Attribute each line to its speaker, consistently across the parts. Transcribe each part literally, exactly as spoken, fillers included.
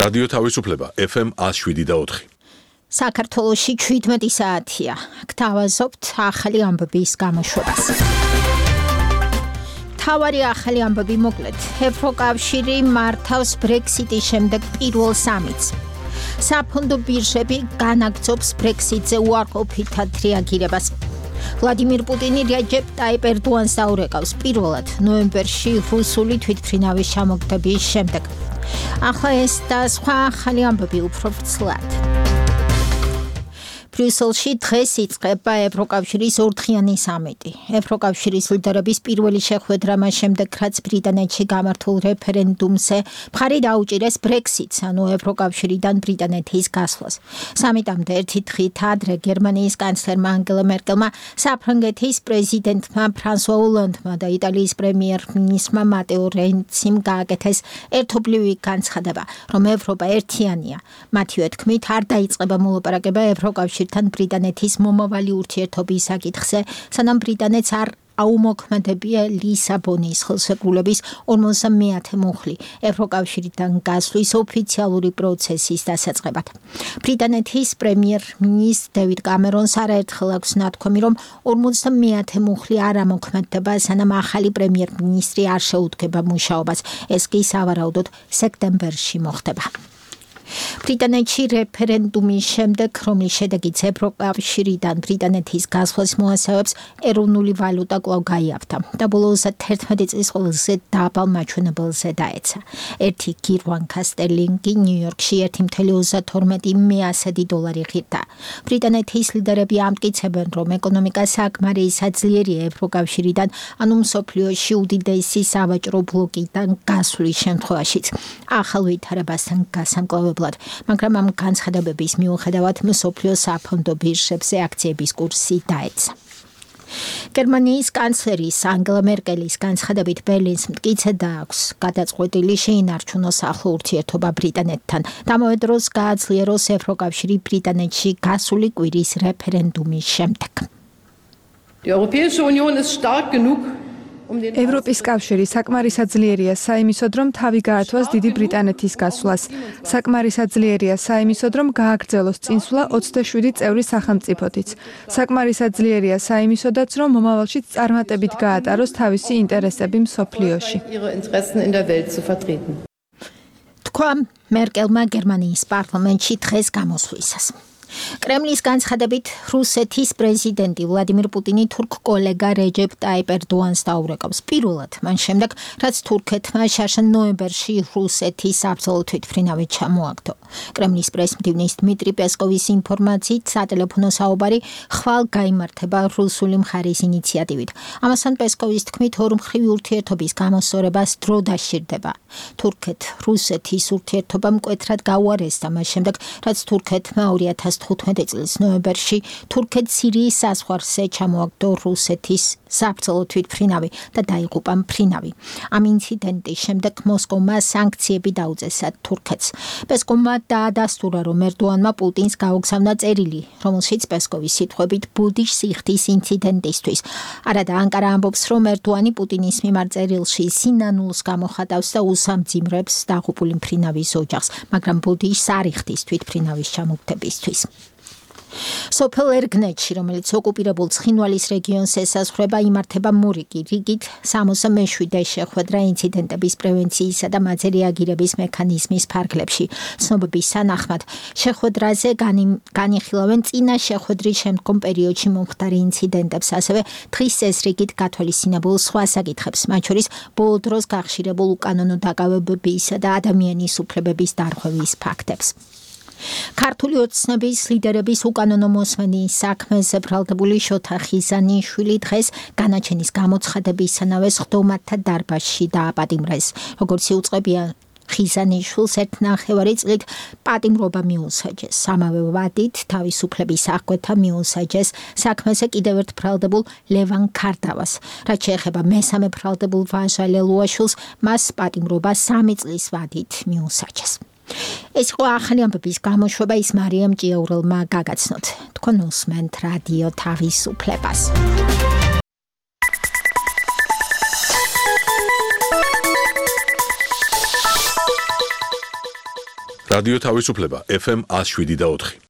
Speaker 1: რადიო თავისუფლება ეფ ემ one oh seven და four.
Speaker 2: საქართველოში შვიდმეტი საათია. გთავაზობთ ახალი ამბების გამოშვებას. თავარი ახალი ამბები მოკლედ. ევროკავშირი მართავს ბრექსიტის შემდეგ პირველ სამიტს. საფონდო ბირჟები განაგრძობს ბრექსიტზე უარყოფითად რეაგირებას. ვლადიმირ პუტინი რეჯეპ ტაიპ ერდოანს დაურეკავს პირველად ნოემბერში რუსული თვითმფრინავის ჩამოგდების შემდეგ. ახლა ეს და სხვა ახალი ამბები უფრო ვრცლად. ბრიუსელში დღეს იწყება ევროკავშირის ორდღიანი სამიტი. ევროკავშირის ლიდერების პირველი შეხვედრა მას შემდეგ, რაც ბრიტანეთში გამართულ რეფერენდუმზე მხარი დაუჭირეს ბრექსიტს, ანუ ევროკავშირიდან ბრიტანეთის გასვლას. სამიტამდე ერთი დღით ადრე გერმანიის კანცლერმა ანგელა მერკელმა, საფრანგეთის პრეზიდენტმა ფრანსუა ოლანდმა და იტალიის პრემიერ-მინისტრმა მატეო რენციმ გააკეთეს ერთობლივი განცხადება, რომ ევროპა ერთიანია. მათივე თქმით, არ დაიწყება მოლაპარაკება ევროკავშირის თან ბრიტანეთის მომავალი ურთიერთობის საკითხზე, სანამ ბრიტანეთს არ აუმოქმედებია ლისაბონის ხელშეკრულების ორმოცდამეათე მუხლი ევროკავშირიდან გასვლის ოფიციალური პროცესის დასაწყებად. ბრიტანეთის პრემიერ-მინისტრ დევიდ კამერონს არაერთხელ აქვს ნათქვამი, რომ ორმოცდამეათე მუხლი არ ამოქმედდება, სანამ ახალი პრემიერ-მინისტრი არ შეუდგება მუშაობას. ეს კი სავარაუდოდ სექტემბერში მოხდება. ბრიტანეთში რეფერენდუმის შემდეგ, რომლის შედეგიც ევროკავშირიდან ბრიტანეთის გასვლას მოასწავებს, ეროვნული ვალუტა კვლავ გაიაფთა და ბოლოს თერთმეტი წლის ყველაზე დაბალ მაჩვენებელზე დაეცა. ერთი გირვანკა სტერლინგი ნიუ-იორკში ერთი virgulă ოცდათორმეტი დოლარი ღირდა. ბრიტანეთის ლიდერები ამტკიცებენ, რომ ეკონომიკა საკმარის საძლიერია ევროკავშირიდან, ანუ მსოფლიოში უდიდესი სავაჭრო ბლოკიდან გასვლის შემთხვევაშიც. ახალ ვითარებასთან გასამკლავებლად, მაგრამ ამ განცხადებების მიუხედავად მსოფლიო საფონდო ბირჟებზე აქციების კურსი დაეცა. გერმანიის კანცლერის ანგელა მერკელის განცხადებით ბერლინს მტკიცედ აქვს გადაწყვეტილი შეინარჩუნოს ახლო ურთიერთობა ბრიტანეთთან. ამავე დროს გააძლიეროს ევროკავშირი ბრიტანეთში გასული კვირის რეფერენდუმის შემდეგ.
Speaker 3: ევროპის კავშირი საკმარისად ძლიერია საიმისოდ, რომ თავი გაართვას დიდი ბრიტანეთის გასვლას. საკმარისად ძლიერია საიმისოდ, რომ გააგრძელოს წინსვლა ოცდაშვიდი წევრი სახელმწიფოთიც. საკმარისად ძლიერია საიმისოდაც, რომ მომავალშიც წარმატებით გაატაროს თავისი ინტერესები მსოფლიოში.
Speaker 2: თქვა მერკელმა გერმანიის პარლამენტში დღეს გამოსვლისას. კრემლის განცხადებით, რუსეთის პრეზიდენტი ვლადიმირ პუტინი თურქ კოლეგა რეჯეპ ტაიპ ერდოანს დაურეკავს პირველად, მან შემდეგ, რაც თურქეთმა შარშა ნოემბერში რუსეთის საბრძოლო თვითმფრინავი ჩამოაგდო. კრემლის პრესმდივნის დმიტრი პესკოვის ინფორმაციით, სატელეფონო საუბარი ხვალ გაიმართება რუსული მხარის ინიციატივით. ამასთან პესკოვის თქმით, ორმხრივი ურთიერთობის გამოსწორებას დრო დასჭირდება. თურქეთ-რუსეთის ურთიერთობა მკვეთრად გაუარესდა მას შემდეგ, რაც თურქეთმა ორი ათას თხუთმეტი წლის ნოემბერში თურქეთ-სირიის საზღვარზე ჩამოაგდო რუსეთის საბრძოლო თვითმფრინავი და დაიღუპა მფრინავი. ამ ინციდენტის შემდეგ მოსკოვმა სანქციები დაუწესა თურქეთს. პესკოვმა დაადასტურა, რომ ერდოანმა პუტინს გაუგზავნა წერილი, რომელშიც პესკოვის სიტყვებით ბუდიშს იხდის ინციდენტისთვის. არადა ანკარა ამბობს, რომ ერდოანი პუტინის მიმართ წერილში სინანულს გამოხატავს და უსამძიმრებს დაღუპული მფრინავის ოჯახს, მაგრამ ბუდიშს არ იხდის თვითმფრინავის ჩამოგდებისთვის. სოფელ ერგნეთში, რომელიც ოკუპირებულ ცხინვალის რეგიონს ესაზღვრება, იმართება მორიგი რიგით სამოცდამეშვიდე შეხვედრა ინციდენტების პრევენციისა და მათზე რეაგირების მექანიზმის ფარგლებში. ცნობების თანახმად, შეხვედრაზე განიხილავენ წინა შეხვედრის შემდგომ პერიოდში მომხდარი ინციდენტებს, ასევე დღის წესრიგით გათვალისწინებულ სხვა საკითხებს, მათ შორის ბოლო დროს გახშირებულ უკანონო დაკავებებისა და ადამიანის უფლებების დარღვევის ფაქტებს. ქართული ოცნების ლიდერების უკანონო მოსმენის საქმეზე ბრალდებული შოთა ხიზანიშვილი დღეს განაჩენის გამოცხადებისთანავე სხდომათა დარბაზში დააპატიმრეს. როგორც იუწყებია, ხიზანიშვილს ერთ ნახევარი წლით პატიმრობა მიუსაჯეს. ამავე ვადით თავისუფლების აღკვეთა მიუსაჯეს საქმეზე კიდევ ერთ ბრალდებულ ლევან ქარდავას. რაც შეეხება მესამე ბრალდებულ ვაჟა ლელუაშვილს, მას პატიმრობა სამი წლის ვადით მიუსაჯეს. ეს იყო ახალი ამბების გამოშვება, ის მარიამ ჭიაურელმა გაგაცნოთ. თქვენ უსმენთ რადიო თავისუფლებას.
Speaker 1: რადიო თავისუფლება ეფ ემ one oh seven point four.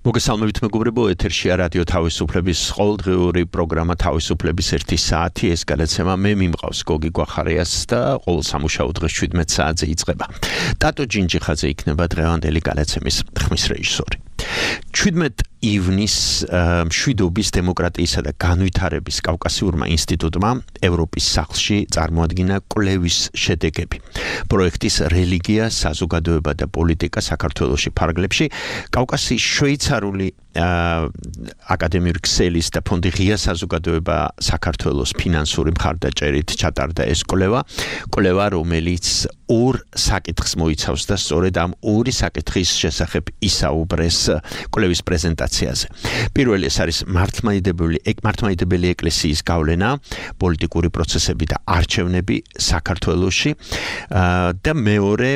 Speaker 4: მოგესალმებით მეგობრებო, ეთერშია რადიო თავისუფლების ყოველდღიური პროგრამა თავისუფლების ერთი საათი. ეს გადაცემა მე მიმყავს გოგი გვახარიას და ყოველ სამუშაო დღეს შვიდმეტ საათზე იწყება. ტატო ჯინჯიხაძე იქნება დღევანდელი გადაცემის ხმის რეჟისორი. შვიდმეტ ივნის მშვიდობის, დემოკრატიისა და განვითარების კავკასიურმა ინსტიტუტმა ევროპის სახლში წარმოადგინა კვლევის შედეგები. პროექტის რელიგია, საზოგადოება და პოლიტიკა საქართველოში ფარგლებში კავკასიის შვეიცარიული აკადემიური ქსელის და ფონდი ღია საზოგადოება საქართველოს ფინანსური მხარდაჭერით ჩატარდა ეს კვლევა, კვლევა რომელიც ორ საკითხს მოიცავს და სწორედ ამ ორი საკითხის შესახებ ისაუბრეს კვლევის პრეზენტაციაზე. პირველი ეს არის მართლმადიდებელი მართლმადიდებელი ეკლესიის გავლენა, პოლიტიკური პროცესები და არჩევნები საქართველოში და მეორე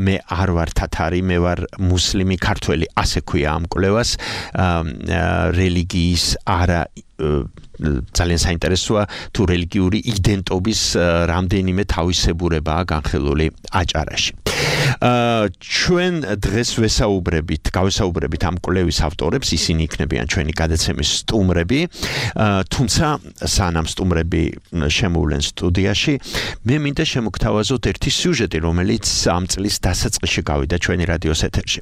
Speaker 4: მე არ ვარ თათარი, მე ვარ მუსლიმი ქართველი, ასე ქვია ამ კვლევას, რელიგიის არა ძალიან საინტერესოა თუ რელიგიური იდენტობის რამდენიმე თავისებურებაა განხილული აჭარაში. ჩვენ დღეს ვესაუბრებით, გავესაუბრებით ამ კვლევის ავტორებს, ისინი იქნებიან ჩვენი გადაცემის სტუმრები, თუმცა სანამ სტუმრები შემოვლენ სტუდიაში, მე მინდა შემოგთავაზოთ ერთი სიუჟეტი, რომელიც ამ წლის დასაწყისში გავიდა ჩვენი რადიოს ეთერში.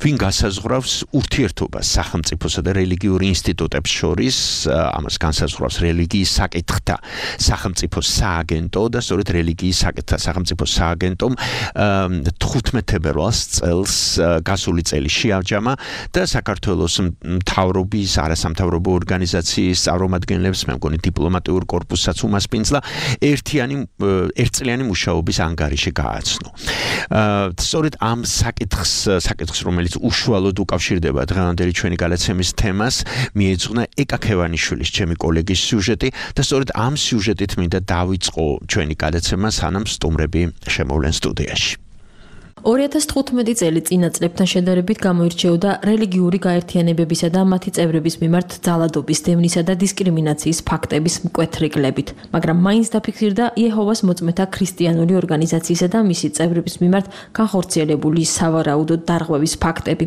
Speaker 4: ვინ გასაზღვრავს ურთიერთობას სახელმწიფოსა და რელიგიურ ინსტიტუტებს შორის, ამას განსაზღვრავს რელიგიის საკითხთა სახელმწიფოს სააგენტო და სწორედ რელიგიის საკითხთა სახელმწიფოს სააგენტომ თხუთმეტ თებერვალს წელს გასული წელი შეავჯამა და საქართველოს მთავრობის, არასამთავრობო ორგანიზაციის წარმომადგენლებს, მე მგონი დიპლომატიურ კორპუსსაც უმასპინძლა ერთიანი ერთწლიანი მუშაობის ანგარიში გააცნო. სწორედ ამ საკითხს, საკითხს რომელიც უშუალოდ უკავშირდება დღევანდელი ჩვენი გადაცემის თემას, მიეძღვნა ეკა ქევანიშვილის, ჩემი კოლეგის სიუჟეტი და სწორედ ამ სიუჟეტით მინდა დავიწყო ჩვენი გადაცემა, სანამ სტუმრები შემოვლენ სტუდიაში.
Speaker 5: ორი ათას თხუთმეტი წელი წინა წლებთან შედარებით გამოირჩეოდა რელიგიური გაერთიანებებისა და მათი წევრების მიმართ ძალადობის, დევნისა და დისკრიმინაციის ფაქტების მკვეთრიგლებით, მაგრამ მაინც დაფიქსირდა იეჰოვას მოწმეთა ქრისტიანული ორგანიზაციისა და მისი წევრების მიმართ განხორციელებული სავარაუდო დარღვევის ფაქტები.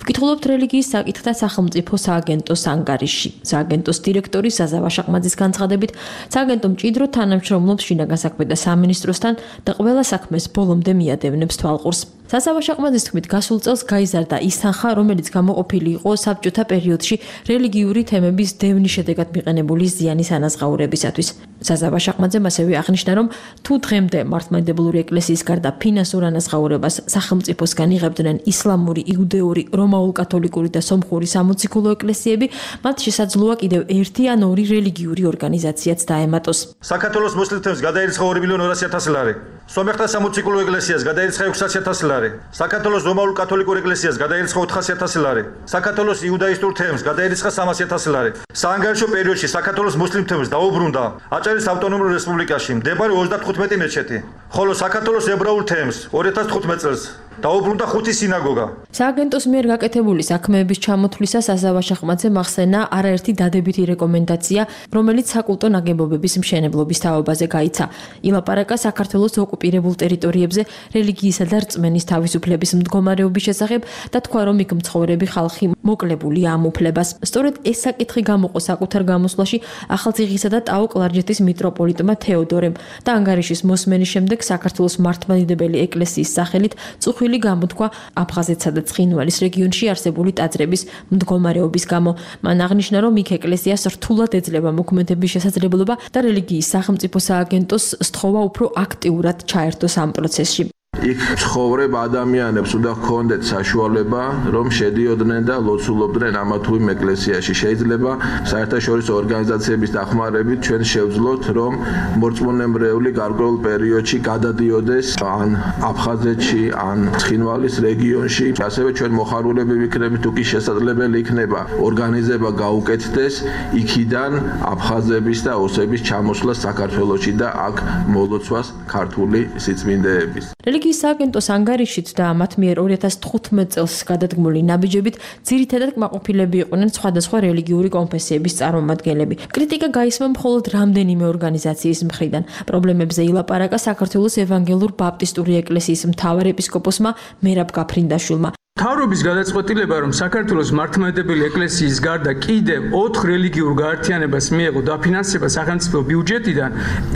Speaker 5: ვკითხულობთ რელიგიის საკითხთა სახელმწიფო სააგენტოს ანგარიში. სააგენტოს დირექტორი საზა ვაშაყმაძის განცხადებით, სააგენტო მჭიდრო თანამშრომლობს შინაგან საქმეთა სამინისტროსთან და ყველა საქმეს ბოლომდე მიადევნებს თვალყურს. საზა ვაშაყმაძის თქმით, გასულ წელს გაიზარდა ის თანხა, რომელიც გამოყოფილი იყო საბჭოთა პერიოდში რელიგიური თემების დევნის შედეგად მიყენებული ზიანის ანაზღაურებისათვის. საზა ვაშაყმაძემ ასევე აღნიშნა, რომ თუ დღემდე მართლმადიდებლური ეკლესიის გარდა ფინანსურ ანაზღაურებას სახელმწიფოსგან იღებდნენ ისლამური, იუდეური, რომაულ-კათოლიკური და სომხური სამოციქულო ეკლესიები, მათ შესაძლოა კიდევ ერთი ან ორი რელიგიური ორგანიზაციაც დაემატოს.
Speaker 6: საქართველოს მუსლიმებს გადაირიცხა ორი მილიონი ორასი ათასი ლარი. სომეხთა სამოციქულო ეკლესიას გადაირიცხა ექვსასი ათასი ლარი. საქართველოს რომაულ-კათოლიკურ ეკლესიას გადაირიცხა ოთხასი ათასი ლარი. საქართველოს იუდაისტურ თემს გადაირიცხა სამასი ათასი ლარი. საანგარიშო პერიოდში საქართველოს მუსლიმ თემს დაუბრუნდა აჭარის ავტონომურ რესპუბლიკაში მდებარე ოცდათხუთმეტი მეჩეთი, ხოლო საქართველოს ებრაულ თემს ორი ათას თხუთმეტ წელს დაუბრუნდა ხუთი სინაგოგა.
Speaker 5: სააგენტოს მიერ გაკეთებული საქმეების ჩამოთვლისას საზა ვაშაყმაძემ ახსენა არაერთი დადებითი რეკომენდაცია, რომელიც საკულტო ნაგებობების მშენებლობის თაობაზე გაიცა. ილაპარაკა საქართველოს ოკუპირებულ ტერიტორიებზე რელიგიისა და რწმენის თავისუფლების მდგომარეობის შესახებ და თქვა, რომ იქ მცხოვრები ხალხი მოკლებულია ამ უფლებას. სწორედ ეს საკითხი გამოყო საკუთარ გამოსვლაში ახალციხისა და ტაო-კლარჯეთის მიტროპოლიტმა თეოდორემ და ანგარიშის მოსმენის შემდეგ საქართველოს მართლმადიდებელი ეკლესიის სახელით წუხილი გამოთქვა აფხაზეთსა და ცხინვალის რეგიონში არსებული ტაძრების მდგომარეობის გამო. მან აღნიშნა, რომ იქ ეკლესიას რთულად ეძლევა მოქმედების შესაძლებლობა და რელიგიის სახელმწიფო სააგენტოს სთხოვა უფრო აქტიურად ჩაერთოს ამ პროცესში.
Speaker 7: იქ ცხოვრებ ადამიანებს უნდა ჰქონდეთ საშუალება, რომ შედიოდნენ და ლოცულობდნენ ამა თუ იმ ეკლესიაში. შეიძლება საერთაშორისო ორგანიზაციების დახმარებით ჩვენ შევძლოთ, რომ მორწმუნებრეული გარკვეულ პერიოდში გადადიოდეს ან აფხაზეთში, ან ცხინვალის რეგიონში. ასევე ჩვენ მოხარულები ვიქნებით, თუ კი შესაძლებელი იქნება ორგანიზება გაუკეთდეს იქიდან აფხაზების და ოსების ჩამოსვლა საქართველოში და აქ მოლოცვას ქართული სიწმინდეების.
Speaker 5: რელიგიის რელიგიის სააგენტოს ანგარიშით და მათ მიერ ორი ათას თხუთმეტ წელს გადადგმული ნაბიჯებით ძირითადად კმაყოფილები იყვნენ სხვადასხვა რელიგიური კონფესიების წარმომადგენლები. კრიტიკა გაისმა მხოლოდ რამდენიმე ორგანიზაციის მხრიდან. პრობლემებზე ილაპარაკა საქართველოს ევანგელურ ბაპტისტური ეკლესიის მთავარ ეპისკოპოსმა მერაბ გაფრინდაშვილმა.
Speaker 8: მთავრობის გადაწყვეტილება, რომ საქართველოს მართლმადიდებელი ეკლესიის გარდა კიდევ ოთხ რელიგიურ გაერთიანებას მიეღო დაფინანსება სახელმწიფო ბიუჯეტიდან,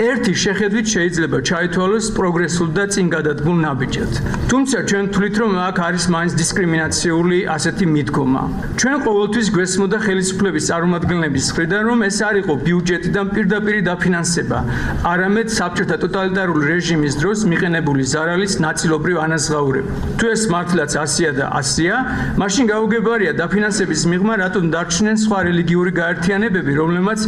Speaker 8: ერთი შეხედვით შეიძლება ჩაითვალოს პროგრესულ და წინ გადადგმულ ნაბიჯად. თუმცა ჩვენ ვთვლით, რომ აქ არის მაინც დისკრიმინაციული ასეთი მიდგომა. ჩვენ ყოველთვის გვესმოდა ხელისუფლების წარმომადგენლების მხრიდან, რომ ეს არ იყო ბიუჯეტიდან პირდაპირ დაფინანსება, არამედ საბჭოთა ტოტალიტარული რეჟიმის დროს მიყენებული ზარალის ნაწილობრივ ანაზღაურება. თუ ეს მართლაც ასია და ასია, მაშინ გაუგებარია დაფინანსების მიღმა რატომ დარჩნენ სხვა რელიგიური გაერთიანებები, რომლებმაც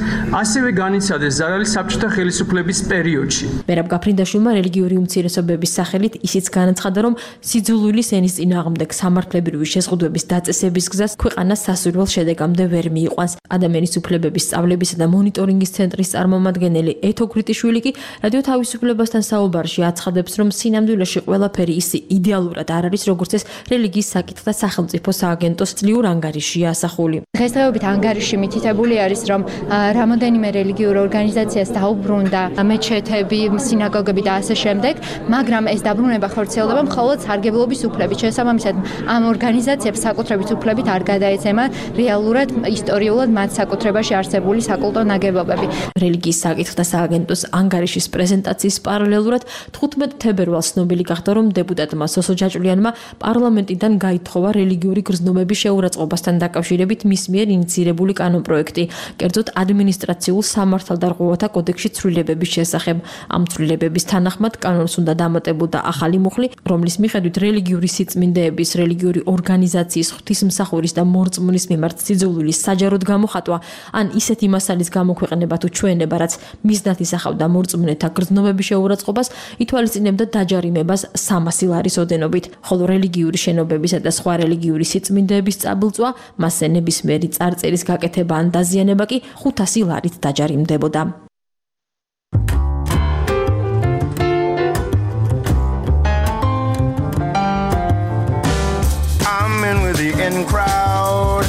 Speaker 8: ასევე განიცადეს ზარალი საბჭოთა ხელისუფლების პერიოდში.
Speaker 5: მერაბ გაფრინდაშვილმა რელიგიური უმცირესობების სახელით ისიც განაცხადა, რომ სიძულვილის ენის წინააღმდეგ სამართლებრივი შეზღუდვების დაწესების გზას ქვეყანა სასურველ შედეგამდე ვერ მიიყვანს. ადამიანის უფლებების სწავლებისა და მონიტორინგის ცენტრის წარმომადგენელი ეთო გრიტიშვილი კი რადიო თავისუფლებასთან საუბარში აცხადებს, რომ სინამდვილეში ყველაფერი ისე იდეალურად არ არის, როგორც ეს რელიგიის საკითხთა სახელმწიფო სააგენტოს წლიურ ანგარიშია ასახული.
Speaker 9: დღესდღეობით ანგარიში მითითებული არის, რომ რამოდენიმე რელიგიურ ორგანიზაციას დაუბრუნდა მეჩეთები, სინაგოგები და ასე შემდეგ, მაგრამ ეს დაბრუნება ხორციელდება მხოლოდ სარგებლობის უფლებით. შესაბამისად, ამ ორგანიზაციებს საკუთრების უფლებით არ გადაეცემა რეალურად ისტორიულად მათ საკუთრებაში არსებული საკულტო ნაგებობები.
Speaker 5: რელიგიის საკითხთა სააგენტოს ანგარიშის პრეზენტაციის პარალელურად თხუთმეტ თებერვალს ცნობილი გახდა, რომ დეპუტატმა სოსო ჯაჭვლიანმა პარლამენტიდან გაითხოვა რელიგიური გრძნობების შეურაცხყოფასთან დაკავშირებით მის მიერ ინიცირებული კანონპროექტი, კერძოდ ადმინისტრაციულ სამართალდარღვევათა კოდექსში ცვლილებების შესახებ. ამ ცვლილებების თანახმად კანონს უნდა დამატებოდა ახალი მუხლი, რომლის მიხედვით რელიგიური სიწმინდეების, რელიგიური ორგანიზაციის, ღვთისმსახურის და მორწმუნის მიმართ სიძულვილის საჯაროდ გამოხატვა, ან ისეთი მასალის გამოქვეყნება თუ ჩვენება, რაც მიზნად ისახავდა მორწმუნეთა გრძნობების შეურაცხყოფას, ითვალისწინებდა დაჯარიმებას სამასი ლარის ოდენობით, ხოლო რელიგიური შენობებისა და სხვა რელიგიური სიწმინდეების წაბილწვა, მასზე ნებისმიერი წარწერის გაკეთება ან დაზიანება კი ხუთასი ლარით დაჯარიმდებოდა.
Speaker 10: I'm in with the in crowd.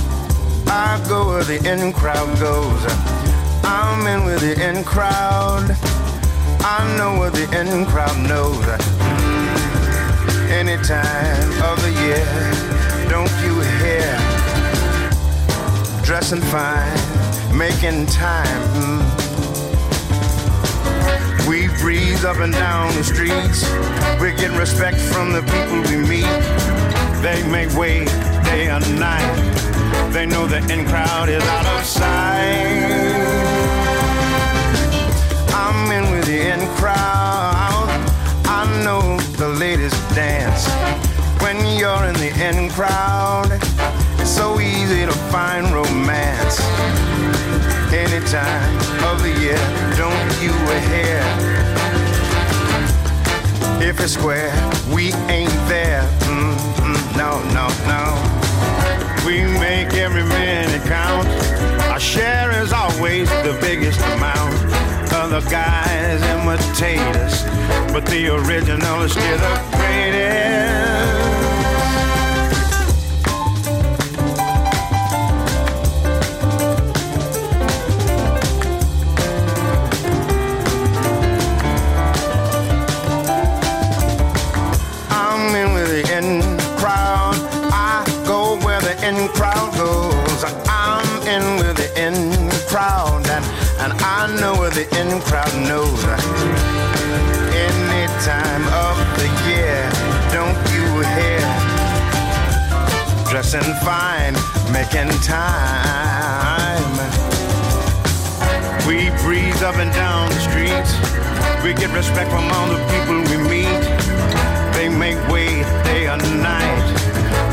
Speaker 10: I go where the in crowd goes. I'm in with the in crowd. I know what the in crowd knows. Any time of the year, don't you hear? Dressing fine, making time. We breathe up and down the streets. We get respect from the people we meet. They make way day and night. They know the in crowd is out of sight. I'm in with the in crowd. I know the latest dance. When you're in the in crowd, it's so easy to find romance. Any time of the year, don't you hear? If it's square, we ain't there. Mm-mm, no, no, no. We make every minute count. Our share is always the biggest amount. Other guys imitate us, but the original is still the greatest. I'm in with the in crowd. I go where the in crowd goes. I'm in with the in crowd, and, and I know where the in crowd knows. Any time of the year, don't you hear? Dressing fine, making time. We breathe up and down the streets. We get respect from all the people we meet. They make way day and night.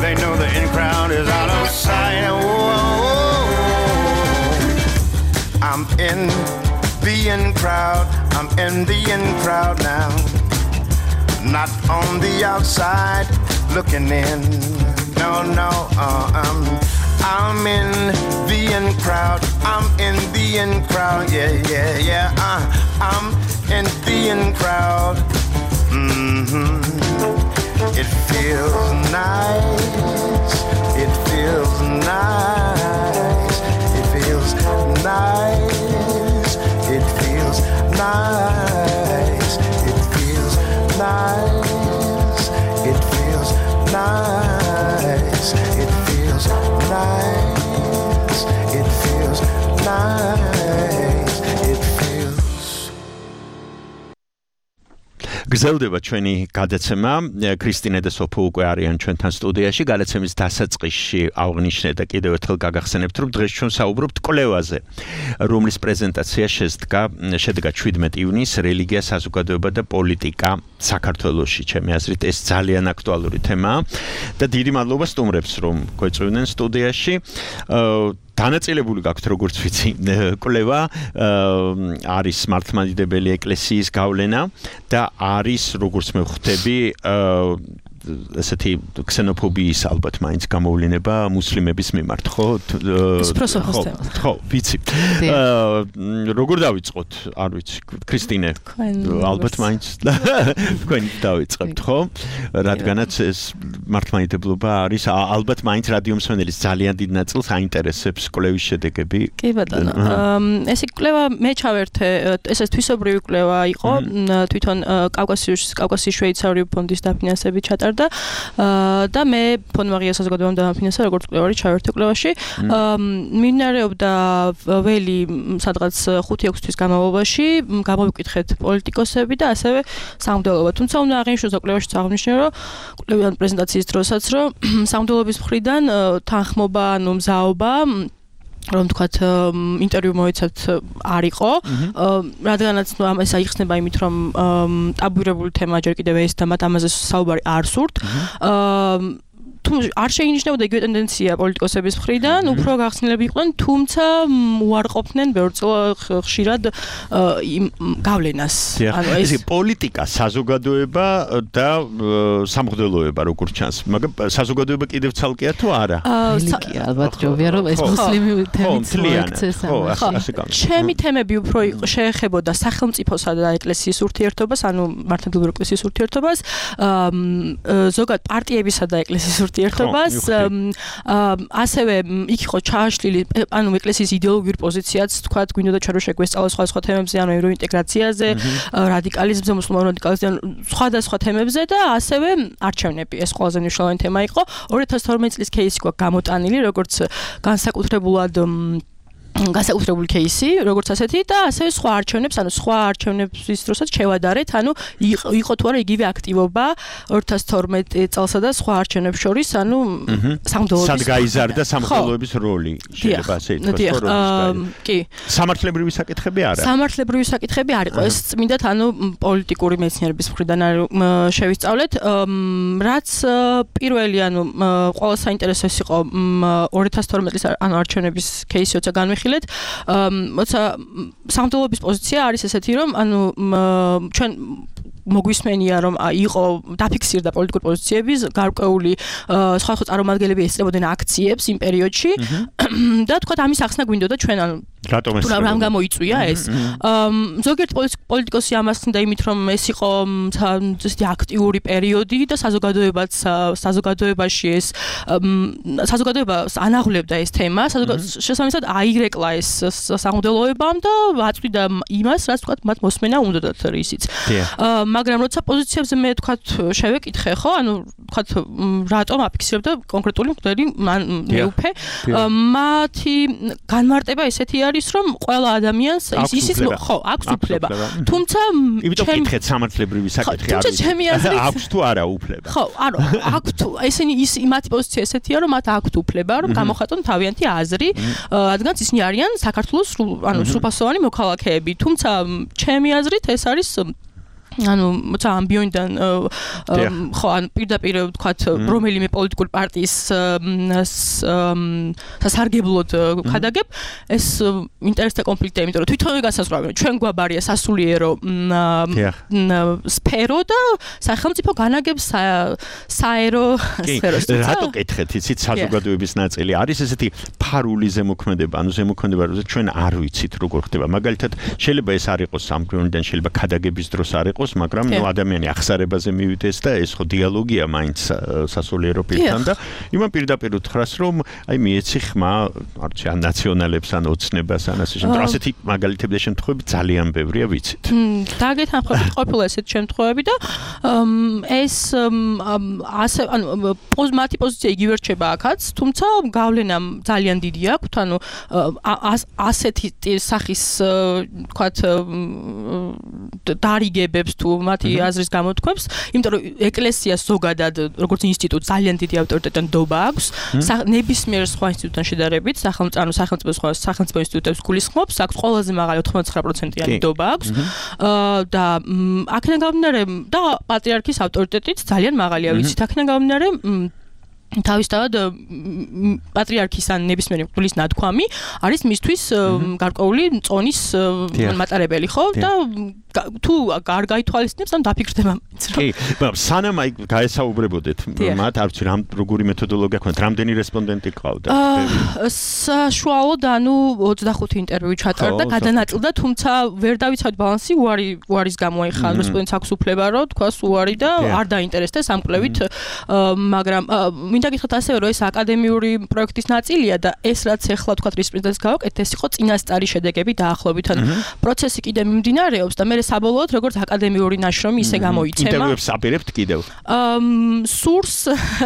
Speaker 10: They know the in crowd is out of sight. Whoa. I'm in the in crowd. I'm in the in crowd now. Not on the outside looking in. No, no, uh, I'm, I'm in the in crowd. I'm in the in crowd. Yeah, yeah, yeah. Uh, I'm in the in crowd. Mm-hmm. It feels nice. It feels nice. It feels nice. It feels nice. It feels nice. It feels nice. It feels nice. It feels nice. It feels
Speaker 4: გრძელდება ჩვენი გადაცემა. კრისტინე და სოფო უკვე არიან ჩვენთან სტუდიაში. გადაცემის დასაწყისში აღნიშნე და კიდევ ერთხელ გაგახსენებთ, რომ დღეს ჩვენ საუბრობთ კვლევაზე, რომლის პრეზენტაცია შედგა შედგა შვიდმეტი ივნისს რელიგია, საზოგადოება და პოლიტიკა საქართველოში. ჩემი აზრით ეს ძალიან აქტუალური თემაა და დიდი მადლობა სტუმრებს, რომ გვეწვევდნენ სტუდიაში. დანაწილებული გაქვთ როგორც ვიცი კვლევა არის მართლმადიდებელი ეკლესიის გავლენა და არის როგორც მე ვხვდები ესეთი ქსენოფობიის ალბათ მაინც გამოვლინება მუსლიმების მიმართ, ხო? ხო, ვიცი. როგორ დავიწყოთ? არ ვიცი. კრისტინე, ალბათ მაინც თქვენი დავიწყებთ, ხო? რადგანაც ეს მართლმადიდებლობა არის ალბათ მაინც რადიო მსმენელის ძალიან დიდ ნაწილს აინტერესებს კვლევის შედეგები.
Speaker 11: კი ბატონო. ეს კვლევა მე ჩავერთე, ეს თვისობრივი კვლევა იყო, თვითონ კავკასიის კავკასიის შვეიცარიული ფონდის დაფინანსებით ჩატარდა და მე ფონდმაღია საზოგადოებამ დამაფინანსა როგორც კვლევარი ჩავერთე კვლევაში. მიმდინარეობდა ველი სადღაც ხუთი ექვსი თვის განმავლობაში, გამოვიკითხეთ პოლიტიკოსები და ასევე სამღვდელობა. თუმცა უნდა აღინიშნოს და კვლევაშიც აღნიშნე, რომ კვლევიან პრეზენტაციის დროსაც, რომ სამღვდელობის მხრიდან თანხმობა, ანუ მზაობა რომ თქვათ ინტერვიუ მოიცათ არ იყო, რადგანაც ნუ ეს აიხსნება იმით, რომ ტაბუირებული თემა ჯერ კიდევ ეს და მათ ამაზე საუბარი არ სურთ. თუ არ შეინიშნებოდა იგივე ტენდენცია პოლიტიკოსების მხრიდან, უფრო გახსნილები იყვნენ, თუმცა უარყოფდნენ ბევრ ხშირად გავლენას.
Speaker 4: ანუ ეს პოლიტიკა, საზოგადოება და სამღვდელოება როგორც ჩანს, მაგრამ საზოგადოება კიდევ ცალკეა თუ არა?
Speaker 11: რელიგია ალბათ ჯობია რომ ეს მუსლიმი თემით მოიქცეს ამაში. ჩემი თემები უფრო შეეხებოდა სახელმწიფოსა და ეკლესიის ურთიერთობას, ანუ მართლმადიდებელი ეკლესიის ურთიერთობას, ზოგადად პარტიებისა და ეკლესიის ურთიერთობას, ასევე იქ იყო ჩააშლილი, ანუ ეკლესიის იდეოლოგიური პოზიციაც, თქვათ, გვინდოდა ჩვენ რომ შეგვესწავლოს სხვადასხვა თემებზე, ანუ ევროინტეგრაციაზე, რადიკალიზმზე, მუსლიმანურ რადიკალიზმზე, სხვადასხვა თემებზე და ასევე არჩევნები. ეს ყველაზე მნიშვნელოვანი თემა იყო. ორი ათას თორმეტი წლის кейსი გვაქვს გამოტანილი, როგორც განსაკუთრებულად განსაკუთრებული кейსი, როგორც ასეთი და ასევე სხვა არჩევნებს, ანუ სხვა არჩევნების დროსაც შევადარეთ, ანუ იყო თუ არა იგივე აქტივობა ორი ათას თორმეტი წელსა და სხვა არჩევნებს შორის, ანუ სამღვდელოების
Speaker 4: სად გაიზარდა სამღვდელოების როლი, შეიძლება ასე ითქვას, როლის
Speaker 11: კი.
Speaker 4: სამართლებრივი საკითხები არა.
Speaker 11: სამართლებრივი საკითხები არ იყო, ეს წმინდათ, ანუ პოლიტიკური მეცნიერების მხრიდან შევისწავლეთ, რაც პირველი, ანუ ყველა საინტერესო ის იყო ორი ათას თორმეტი წლის ანუ არჩევნების кейსი, როცა განვიხილეთ, მოცა სამღვდელოების პოზიცია არის ესეთი, რომ ანუ ჩვენ მოგვისმენია, რომ იყო დაფიქსირდა პოლიტიკური პოზიციების გარკვეული სხვადასხვა წარმომადგენლები ესწრებოდნენ აქციებს იმ პერიოდში და თქვათ ამის ახსნა გვინდოდა ჩვენ, ანუ
Speaker 4: რატომ ეს
Speaker 11: რამ გამოიწვია ეს? ზოგიერთ პოლიტიკოსი ამას ხსნიდა იმით, რომ ეს იყო ესეთი აქტიური პერიოდი და საზოგადოებაც საზოგადოებაში ეს საზოგადოებას ანაღლებდა ეს თემა, შესაბამისად აირეკლა ეს სამღვდელოებამ და აწვდიდა იმას, რაც თქვათ მათ მოსმენა უნდათ რისიც. მაგრამ როცა პოზიციებზე მე თქვათ შევეკითხე, ხო, ანუ თქვათ რატომ აფიქსირებდა კონკრეტული მღვდელი მეუფე, მათი განმარტება ესეთი არის, რომ ყველა ადამიანს ის ისიც ხო, აქვს უფლება. თუმცა
Speaker 4: იმიტომ ვკითხეთ სამართლებრივი საკითხი არის. აქვს თუ არა უფლება?
Speaker 11: ხო, არა, აქვს თუ ესენი ის მათი პოზიცია ესეთია, რომ მათ აქვს უფლება, რომ გამოხატონ თავიანთი აზრი, რადგანაც ისინი არიან საქართველოს ანუ სრულფასოვანი მოქალაქეები. თუმცა ჩემი აზრით ეს არის ანუ მოცა ამბიონიდან ხო ან პირდაპირ ვთქვათ რომელიმე პოლიტიკური პარტიის სასარგებლოდ ხადაგებ ეს ინტერესთა კონფლიქტია, იმიტომ რომ თვითონვე გასაზღვრავენ, ჩვენ გვაბარია სასულიერო სფერო და სახელმწიფო განაგებს საერო სფეროს.
Speaker 4: რატო კითხეთ, იცით საზოგადოების ნაწილი არის ესეთი ფარული ზემოქმედება, ანუ ზემოქმედება, რომ ჩვენ არ ვიცით როგორ ხდება. მაგალითად, შეიძლება ეს არ იყოს სამგრონიდან, შეიძლება ხადაგების დროს არ იყოს იყოს, მაგრამ ნუ ადამიანი ახსარებაზე მივიდეს და ეს ხო დიალოგია მაინც სასულიერო პირთან და იმან პირდაპირ უთხრას, რომ აი მიეცი ხმა, არ ვიცი, ან ნაციონალებს, ან ოცნებას, ან ასე შემდეგ. ასეთი მაგალითები და შემთხვევები ძალიან ბევრია, ვიცით.
Speaker 11: დაგეთანხმებით ყოფილა ესეთი შემთხვევები და ეს ასე ანუ მათი პოზიცია იგივე რჩება აქაც, თუმცა გავლენა ძალიან დიდი აქვს, ანუ ასეთი სახის თქვათ დარიგებებს თუ მათი აზრის გამოთქვებს, იმიტომ რომ ეკლესიას ზოგადად როგორც ინსტიტუტ ძალიან დიდი ავტორიტეტი ნდობა აქვს, ნებისმიერ სხვა ინსტიტუტთან შედარებით, სახელმწიფო სახელმწიფო სხვა სახელმწიფო ინსტიტუტებს გულისხმობს, აქვს ყველაზე მაღალი ოთხმოცდათხმეტ პროცენტიანი ნდობა აქვს და აქედან გამომდინარე და პატრიარქის ავტორიტეტიც ძალიან მაღალია, ვიცით, აქედან გამომდინარე თავისთავად პატრიარქის ან ნებისმიერი მღვდლის ნათქვამი არის მისთვის გარკვეული წონის მატარებელი, ხო? და თუ არ გაითვალისწინებს, ან დაფიქრდება.
Speaker 4: კი, სანამ აი გაესაუბრებოდეთ მათ, არ ვიცი, რამ როგორი მეთოდოლოგია ქონდათ, რამდენი რესპონდენტი ყავდა?
Speaker 11: საშუალოდ ანუ ოცდახუთი ინტერვიუ ჩატარდა, გადანაწილდა, თუმცა ვერ დავიცავთ ბალანსი, უარი უარის გამო ეხლა რესპონდენტს აქვს უფლება, რომ თქვას უარი და არ დაინტერესდეს ამ კვლევით, მაგრამ მინდა გითხრათ ასევე, რომ ეს აკადემიური პროექტის ნაწილია და ეს რაც ეხლა თქვათ რესპონდენტს გავაკეთეთ, ეს იყო წინასწარი შედეგები დაახლოებით, ანუ პროცესი კიდე მიმდინარეობს და მე საბოლოოდ როგორც აკადემიური ნაშრომი ისე გამოიცემა.
Speaker 4: ინტერვიუებს აპირებთ კიდევ?
Speaker 11: სურს.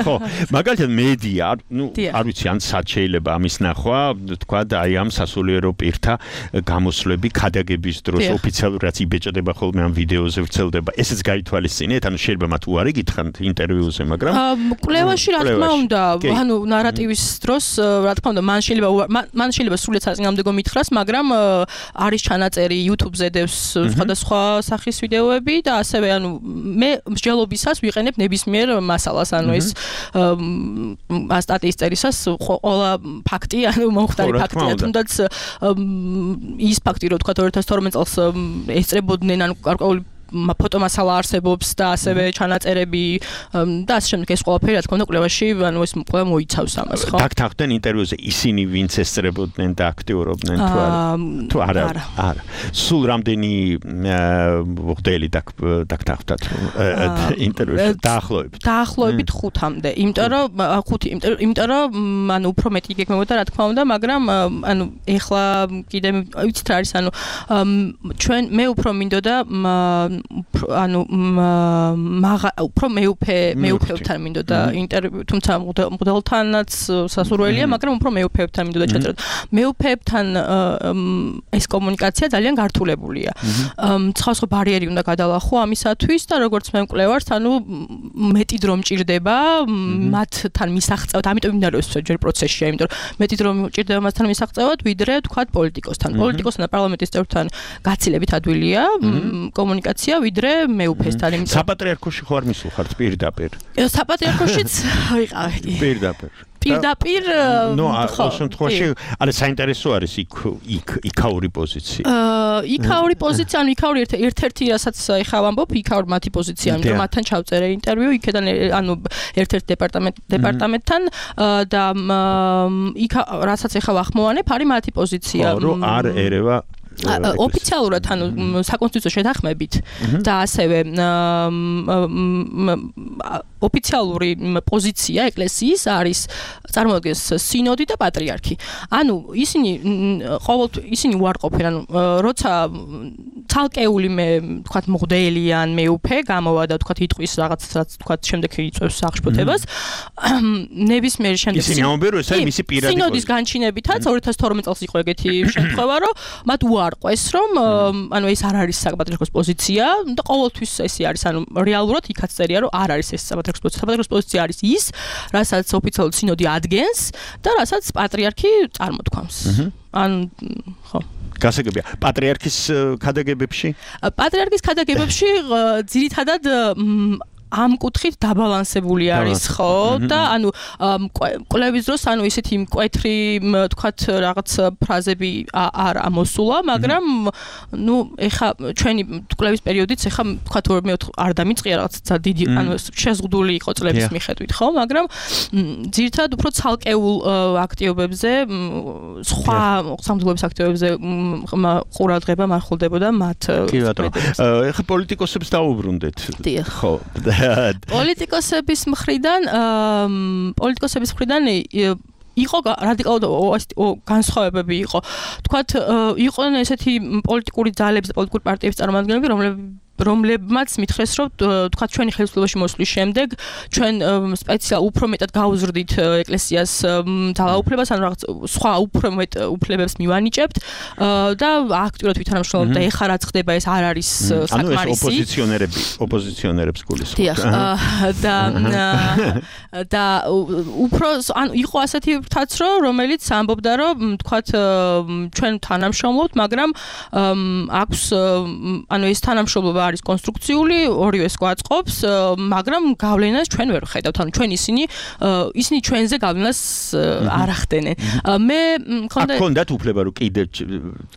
Speaker 4: ხო, მაგალითად მედია, ნუ არ ვიცი, ან სად შეიძლება ამის ნახვა, თქვა და აი ამ სასულიერო პირთა გამოსვლები ქადაგების დროს ოფიციალურად რაც იბეჭდება ხოლმე ამ ვიდეოზე ვრცელდება. ესეც გაითვალისწინეთ, ანუ შეიძლება მათ უარი გითხრათ ინტერვიუზე, მაგრამ
Speaker 11: კვლევაში რა თქმა უნდა, ანუ ნარატივის დროს რა თქმა უნდა, მან შეიძლება მან შეიძლება სრულიად საწინააღმდეგო მითხრას, მაგრამ არის ჩანაწერი YouTube-ზე დევს სხვადასხვა სახის ვიდეოები და ასევე ანუ მე მსჯელობისას ვიყენებ ნებისმიერ მასალას, ანუ ეს სტატიის წერისას ყველა ფაქტი, ანუ მომხდარი ფაქტია, თუნდაც ის ფაქტი, რომ თქვა ორი ათას თორმეტ წელს ესწრებოდნენ, ანუ გარკვეული ფოტომასალა არსებობს და ასევე ჩანაწერები და ასე შემდეგ ეს ყველაფერი რა თქმა უნდა კვლევაში ანუ ეს კვლევა მოიცავს ამას, ხო?
Speaker 4: დაგთანხმდნენ ინტერვიუზე ისინი ვინც ესწრებოდნენ და აქტიურობდნენ თუ არა? თუ არა? არა. სულ რამდენი მღვდელი დაგთანხმდათ ინტერვიუში? დაახლოებით.
Speaker 11: დაახლოებით ხუთამდე. იმიტომ რომ ხუთი, იმიტომ რომ ანუ უფრო მეტი გეგმებოდა რა თქმა უნდა, მაგრამ ანუ ეხლა კიდე ვიცით რა არის, ანუ ჩვენ მე უფრო მინდოდა ანუ უფრო მეუფე მეუფეებთან მინდოდა ინტერვიუ, თუმცა მღვდელთანაც სასურველია, მაგრამ უფრო მეუფეებთან მინდოდა ჩაწეროთ. მეუფეებთან ეს კომუნიკაცია ძალიან გართულებულია. სხვა სხვა ბარიერი უნდა გადალახო ამისათვის და როგორც მე მკვლევარს, ანუ მეტი დრო მჭირდება მათთან მისაღწევად, ამიტომ იმდაროს ჯერ პროცესშია, იმიტომ რომ მეტი დრო მჭირდება მასთან მისაღწევად, ვიდრე თქვათ პოლიტიკოსთან. პოლიტიკოსთან და პარლამენტის წევრთან გაცილებით ადვილია კომუნიკაცია ვიდრე მეუფესთან,
Speaker 4: იმიტომ საპატრიარქოში ხო არ მისულხართ პირდაპირ?
Speaker 11: საპატრიარქოშიც ვიყავი.
Speaker 4: პირდაპირ.
Speaker 11: პირდაპირ
Speaker 4: ნუ ხო შემთხვევაში არა საინტერესო არის იქ იქ იქაური პოზიცია.
Speaker 11: იქაური პოზიცია, ანუ იქაური ერთ-ერთი რასაც ეხლა ვამბობ, იქაური მათი პოზიცია, ანუ მათთან ჩავწერე ინტერვიუ, იქიდან ანუ ერთ-ერთ დეპარტამენტ დეპარტამენტთან და იქ რასაც ეხლა ვახმოვანებ, არის მათი პოზიცია.
Speaker 4: ხო, რომ არ ერევა
Speaker 11: ოფიციალურად ანუ საკონსტიტუციო შეთანხმებით და ასევე ოფიციალური პოზიცია ეკლესიის არის წარმოადგენს სინოდი და პატრიარქი. ანუ ისინი ყოველთვის ისინი უარყოფენ, ანუ როცა ცალკეული მე თქვათ მღვდელი ან მეუფე გამოვა და თქვათ იტყვის რაღაც რაც თქვათ შემდეგ იწევს აღშფოთებას, ნებისმიერ შემდეგ
Speaker 4: ისინი ამბობენ, რომ ეს არის მისი პირადი
Speaker 11: სინოდის განჩინებითაც ორი ათას თორმეტ წელს იყო ეგეთი შემთხვევა, რომ მათ უარყვეს, რომ ანუ ეს არ არის საპატრიარქოს პოზიცია და ყოველთვის ესე არის, ანუ რეალურად იქაც წერია, რომ არ არის ეს საპატრიარქოს პოზიცია. საპატრიარქოს პოზიცია არის ის, რასაც ოფიციალურად სინოდი ადგენს და რასაც პატრიარქი წარმოთქვამს. ან ხო
Speaker 4: გასაგებია პატრიარქის ქადაგებებში?
Speaker 11: პატრიარქის ქადაგებებში ძირითადად ამ კუთხით დაბალანსებული არის, ხო? და ანუ კვლევის დროს ანუ ისეთი მკვეთრი თქვათ რაღაც ფრაზები არ ამოსულა, მაგრამ ნუ ეხა ჩვენი კვლევის პერიოდიც ეხა თქვათ ორმე არ დამიწყია რაღაც დიდი ანუ შეზღუდული იყო წლების მიხედვით, ხო? მაგრამ ძირითადად უფრო ცალკეულ აქტივობებზე, სხვა სამართლებრივ აქტივობებზე ყურადღება მარხულდებოდა მათ.
Speaker 4: კი ბატონო. ეხა პოლიტიკოსებს დაუბრუნდეთ. ხო.
Speaker 11: პოლიტიკოსების მხრიდან პოლიტიკოსების მხრიდან იყო რადიკალურად განსხვავებები იყო. თქვათ იყვნენ ესეთი პოლიტიკური ძალების და პოლიტიკური პარტიების წარმომადგენლები, რომლებიც რომლებმაც მითხრეს, რომ თქვათ ჩვენი ხელისუფლებაში მოსვლის შემდეგ ჩვენ სპეციალ უფრო მეტად გაუზრდით ეკლესიას ძალაუფლებას, ანუ რაღაც სხვა უფრო მეტ უფლებებს მივანიჭებთ და აქტიურად ვითანამშრომლობთ და ეხლა რაც ხდება ეს არ არის საკმარისი.
Speaker 4: ანუ ეს ოპოზიციონერები, ოპოზიციონერებს გულისხმობთ.
Speaker 11: დიახ, და და უფრო ანუ იყო ასეთი ფრთაც, რომელიც ამბობდა, რომ თქვათ ჩვენ თანამშრომლობთ, მაგრამ აქვს ანუ ეს თანამშრომლობა არის კონსტრუქციული, ორივეს გვაწყობს, მაგრამ გავლენას ჩვენ ვერ ვხედავთ. ანუ ჩვენ ისინი ისინი ჩვენზე გავლენას არ ახდენენ. მე მქონდა
Speaker 4: აქონდათ უფლება რომ კიდევ